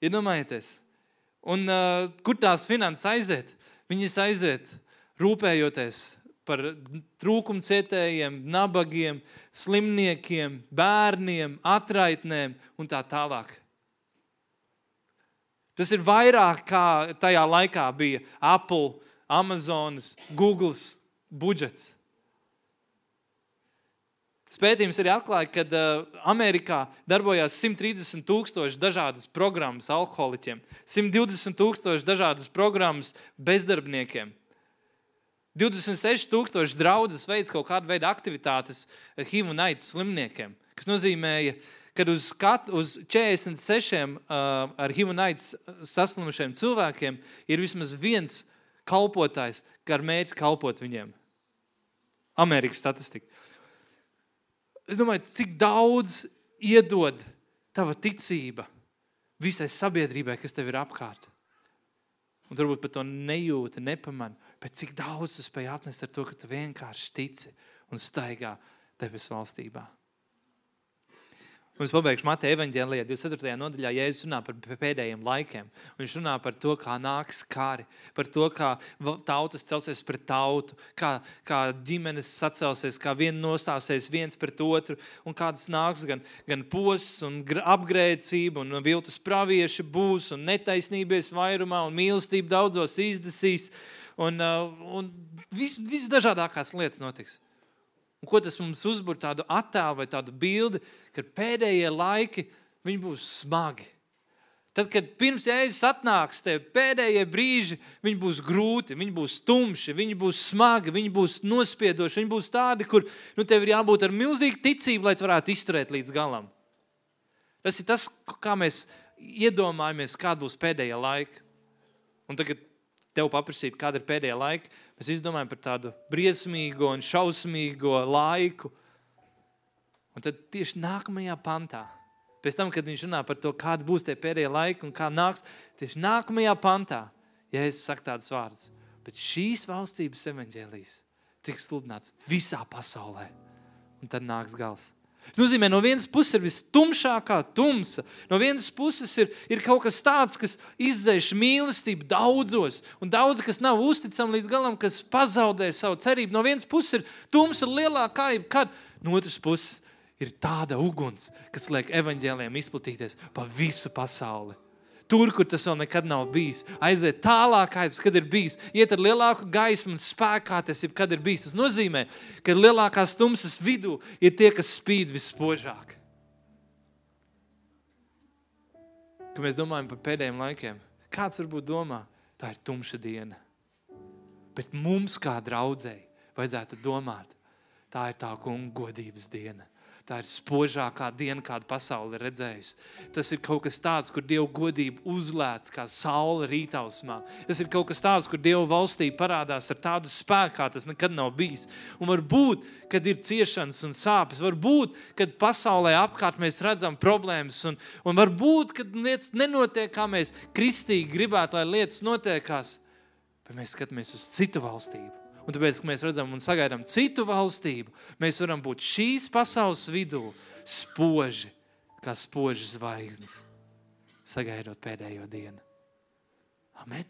Iedomājieties. Un uh, kur tās finanses aiziet? Viņas aiziet rūpējoties par trūkumcietējiem, nabagiem, slimniekiem, bērniem, atraitnēm un tā tālāk. Tas ir vairāk kā tajā laikā bija Apple, Amazonas, Googles budžets. Pētījums arī atklāja, ka uh, Amerikā darbojās simt trīsdesmit tūkstoši dažādas programmas alkoholiķiem, simt divdesmit tūkstoši dažādas programmas bezdarbniekiem, divdesmit seši tūkstoši draudzes veids kaut kādu veidu aktivitātes H I V un AIDS slimniekiem, kas nozīmēja, kad uz, kat, uz četrdesmit sešiem uh, ar H I V un AIDS saslimušiem cilvēkiem ir vismaz viens kalpotājs, kā ar mērķi kalpot viņiem. Amerikas statistika. Es domāju, cik daudz iedod tava ticība visai sabiedrībai, kas tev ir apkārt. Un varbūt par to nejūti, nepamani, bet cik daudz tu spēj atnest ar to, ka tu vienkārši tici un staigā debesu valstībā. Un es pabeigšu Mateja evaņģēlijā divdesmit ceturtajā nodaļā, Jēzus runā par pēdējiem laikiem. Viņš runā par to, kā nāks kari, par to, kā tautas celsies pret tautu, kā, kā ģimenes sacelsies, kā viena nostāsies viens pret otru, un kādas nāks gan, gan posts un apgrēcība, un viltus pravieši būs, un netaisnības vairumā, un mīlestība daudzos izdesīs, un, un vis, visdažādākās lietas notiks. Un ko tas mums uzbur tādu attēlu vai tādu bildi, kad pēdējie laiki, viņi būs smagi. Tad, kad pirms Jēzus atnāks, tev pēdējie brīži, viņi būs grūti, viņi būs tumši, viņi būs smagi, viņi būs nospiedoši, viņi būs tādi, kur nu, tev ir jābūt ar milzīgu ticību, lai tu varētu izturēt līdz galam. Tas ir tas, kā mēs iedomājamies, kāda būs pēdējā laika. Un tagad tev paprasīt, kāda ir pēdējā laika, mēs izdomājam par tādu briesmīgo un šausmīgo laiku. Un tad tieši nākamajā pantā, pēc tam, kad viņš runā par to, kāda būs tie pēdējie laiki un kā nāks, tieši nākamajā pantā, Jēzus saka tādas vārdas, bet šīs valstības evaņģēlijs tiks sludināts visā pasaulē. Un tad nāks gals. Tas nozīmē, no vienas puses ir vistumšākā tumsa, no vienas puses ir, ir kaut kas tāds, kas izdzēš mīlestību daudzos, un daudz, kas nav uzticami līdz galam, kas pazaudē savu cerību. No vienas puses ir tumsa lielākā, kad no otras puses ir tāda uguns, kas liek evaņģēlijiem izplatīties pa visu pasauli. Tur, kur tas vēl nekad nav bijis. Aiziet tālāk, kad ir bijis. Iet ar lielāku gaismu un spēkā tas ir, kad ir bijis. Tas nozīmē, ka lielākās tumsas vidū ir tie, kas spīd vispožāk. Kad mēs domājam par pēdējiem laikiem, kāds varbūt domā, tā ir tumša diena. Bet mums kā draudzēji vajadzētu domāt, tā ir tā kunga godības diena. Tā ir spožākā diena, kādu pasauli ir redzējusi. Tas ir kaut kas tāds, kur Dieva godība uzlēc kā saule rītausmā. Tas ir kaut kas tāds, kur Dieva valstība parādās ar tādu spēku, kā tas nekad nav bijis. Un varbūt, kad ir ciešanas un sāpes, varbūt, kad pasaulē apkārt mēs redzam problēmas, un, un varbūt, kad lietas nenotiek, kā mēs kristīgi gribētu, lai lietas notiekās, bet mēs skatāmies uz citu valstību. Un tāpēc, ka mēs redzam un sagaidām citu valstību, mēs varam būt šīs pasaules vidū spoži, kā spoži zvaigznes, sagaidot pēdējo dienu. Amen.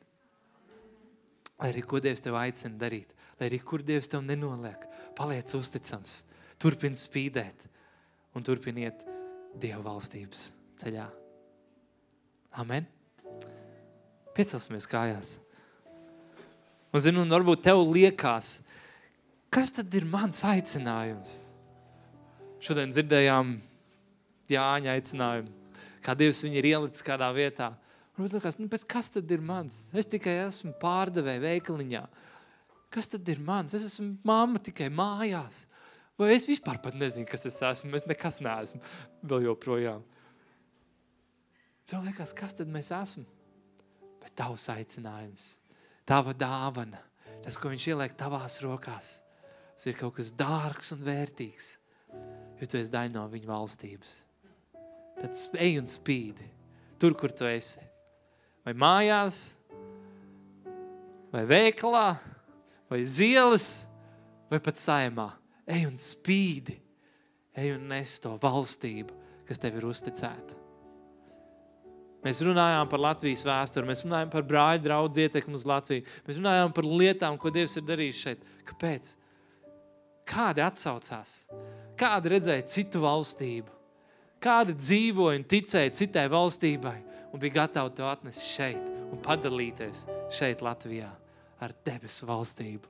Lai arī ko Dievs tev aicina darīt, lai arī kur Dievs tev nenoliek, paliec uzticams, turpin spīdēt un turpin iet Dieva valstības ceļā. Amen. Piecelsimies kājās. Un, zinu, un varbūt tev liekas, kas tad ir mans aicinājums? Šodien dzirdējām Jāņa aicinājumu, kā Dievs viņu ir ielicis kādā vietā. Un liekas, nu, bet kas tad ir mans? Es tikai esmu pārdevēja veikaliņā. Kas tad ir mans? Es esmu mamma tikai mājās. Vai es vispār pat nezinu, kas es esmu? Es nekas neesmu vēl joprojām. Tev liekas, kas tad mēs esmu? Bet tavs aicinājums. Tava dāvana, tas, ko viņš ieliek tavās rokās, tas ir kaut kas dārgs un vērtīgs, jo tu esi daļa no viņa valstības. Tad ej un spīdi, tur, kur tu esi. Vai mājās, vai veikalā, vai zielas, vai pat saimā. Ej un spīdi, ej un nes to valstību, kas tev ir uzticēta. Mēs runājām par Latvijas vēsturi, mēs runājām par brāļu draudz ietekmi uz Latviju, mēs runājām par lietām, ko Dievs ir darījis šeit. Kāpēc? Kādi atsaucās? Kādi redzēja citu valstību? Kādi dzīvoja un ticēja citai valstībai un bija gatavi to atnest šeit un padalīties šeit Latvijā ar debesu valstību?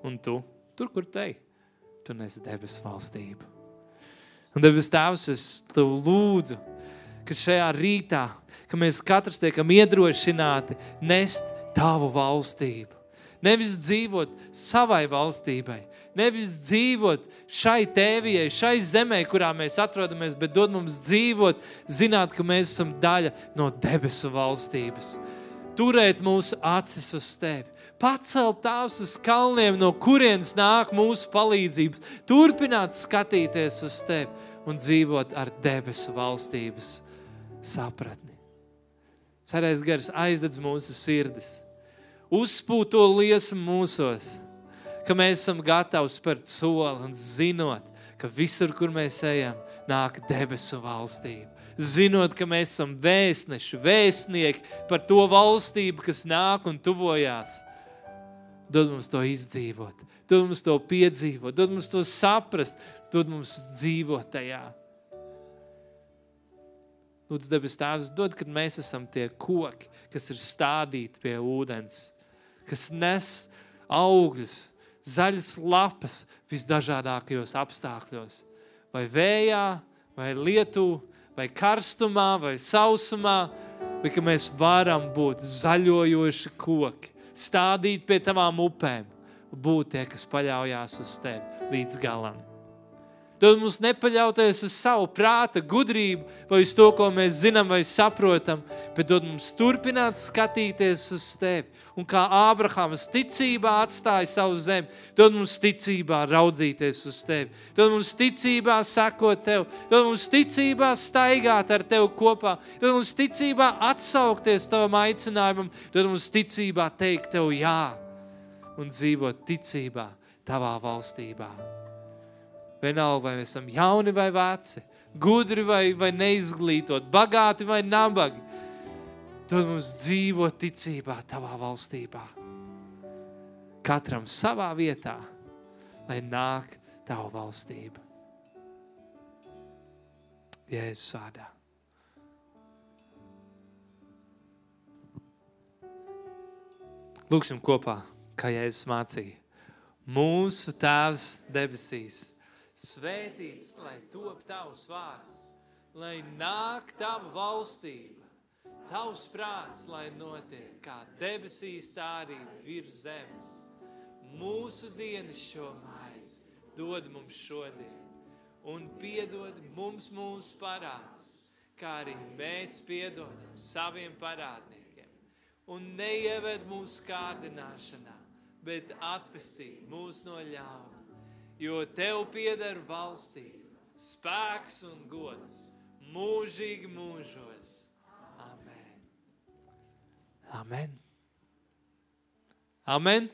Un tu, tur, kur te, tu nes debesu valstību. Un debes Tēvs, es tev lūdzu, ka šajā rītā, ka mēs katrs tiekam iedrošināti nest tavu valstību. Nevis dzīvot savai valstībai, nevis dzīvot šai tēvijai, šai zemē, kurā mēs atrodamies, bet dod mums dzīvot, zināt, ka mēs esam daļa no debesu valstības. Turēt mūsu acis uz tevi. Pacelt tās uz kalniem, no kurienes nāk mūsu palīdzības. Turpināt skatīties uz tevi un dzīvot ar debesu valstības sapratni. Svētais Gars aizdedz mūsu sirdis. Uzpūt to liesmu mūsos, ka mēs esam gatavi spērt soli un zinot, ka visur, kur mēs ejam, nāk debesu valstība. Zinot, ka mēs esam vēstneši, vēstnieki par to valstību, kas nāk un tuvojās. Dod mums to izdzīvot, dod mums to piedzīvot, dod mums to saprast, dod mums dzīvot tajā. Lūdzu, debes Tēvs, dod, kad mēs esam tie koki, kas ir stādīti pie ūdens, kas nes augļus, zaļas lapas visdažādākajos apstākļos. Vai vējā, vai lietū, vai karstumā, vai sausumā, vai ka mēs varam būt zaļojoši koki, stādīt pie tavām upēm, būt tie, kas paļaujās uz tevi līdz galam. Dod mums nepaļauties uz savu prāta gudrību vai uz to, ko mēs zinām vai saprotam, bet dod mums turpināt skatīties uz tevi. Un kā Ābrahams ticībā atstāja savu zemi, dod mums ticībā raudzīties uz tevi. Dod mums ticībā sekot tev. Dod mums ticībā staigāt ar tevi kopā. Dod mums ticībā atsaukties tavam aicinājumam. Dod mums ticībā teikt tev jā un dzīvot ticībā tavā valstībā. Vienalga, vai mēs esam jauni vai veci, gudri vai, vai neizglītot, bagāti vai nabagi. Dod mums dzīvot ticībā tavā valstībā. Katram savā vietā, lai nāk tava valstība. Jēzus vārdā. Lūksim kopā, kā Jēzus mācīja. Mūsu Tēvs debesīs, svētīts, lai top tavs vārds, lai nāk tava valstība, tavs prāts, lai notiek, kā debesīs, tā arī virs zemes. Mūsu dienas šo maizi dod mums šodien, un piedod mums mūsu parādus, kā arī mēs piedodam saviem parādniekiem. Un neieved mūsu kārdināšanā, bet atpestī mūs no ļauna, jo Tev pieder valstība, spēks un gods, mūžīgi mūžos. Amen. Amen. Amen.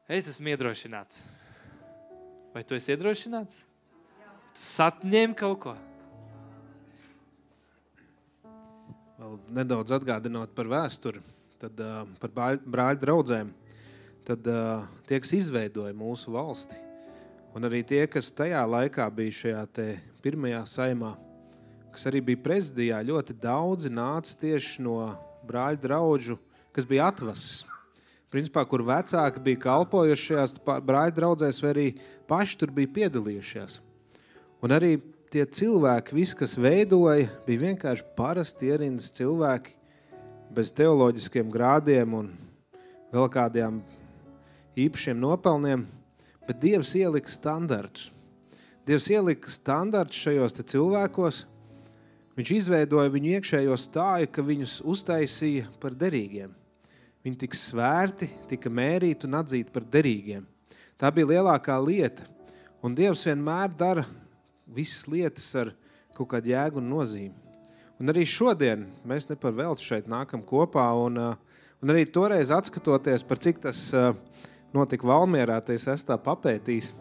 Es esmu iedrošināts. Vai tu esi iedrošināts? Tu satņem kaut ko? Vēl nedaudz atgādinot par vēsturi, tad uh, par brāļu draudzēm, tad uh, tie, kas izveidoja mūsu valsti, un arī tie, kas tajā laikā bija šajā te pirmajā saimā, kas arī bija prezidijā, ļoti daudzi nāca tieši no brāļu draudžu, kas bija atvases. Principā, kur vecāki bija kalpojuši šajās brāļu draudzēs, vai arī paši tur bija piedalījušies. Un arī tie cilvēki, visi, kas veidoja, bija vienkārši parasti ierindas cilvēki, bez teoloģiskiem grādiem un vēl kādiem īpašiem nopelniem, bet Dievs ielika standartus. Dievs ielika standartus šajos te cilvēkos, viņš izveidoja viņu iekšējo stāju, ka viņus uztaisīja par derīgiem. Viņi tika svērti, tika mērīti un atzīti par derīgiem. Tā bija lielākā lieta. Un Dievs vienmēr dara visas lietas ar kaut kādu jēgu un nozīmi. Un arī šodien mēs ne par velti šeit nākam kopā. Un, un arī toreiz atskatoties, par cik tas notika Valmierā, tai es esmu tā papētījis.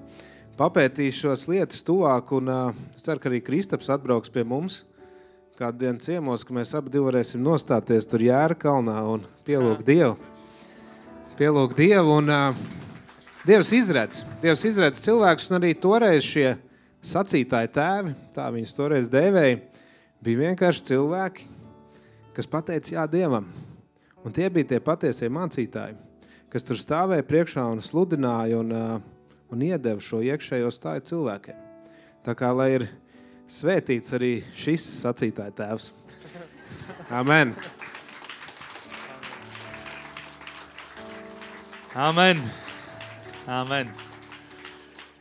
Papētījis šos lietas tuvāk, un es ceru, ka arī Kristaps atbrauks pie mums kādu dienu ciemos, ka mēs abi divi varēsim nostāties tur Jēra kalnā un pielūgt Dievu. Pielūgt Dievu un uh, Dievs izredz. Dievs izredz cilvēkus, un arī toreiz šie sacītāji tēvi, tā viņus toreiz dēvēja, bija vienkārši cilvēki, kas pateica jā Dievam. Un tie bija tie patiesie mācītāji, kas tur stāvēja priekšā un sludināja un, uh, un iedeva šo iekšējo stāju cilvēkiem. Tā kā, lai ir svētīts arī šis sacītāja tēvs. Amen. Amen. Amen.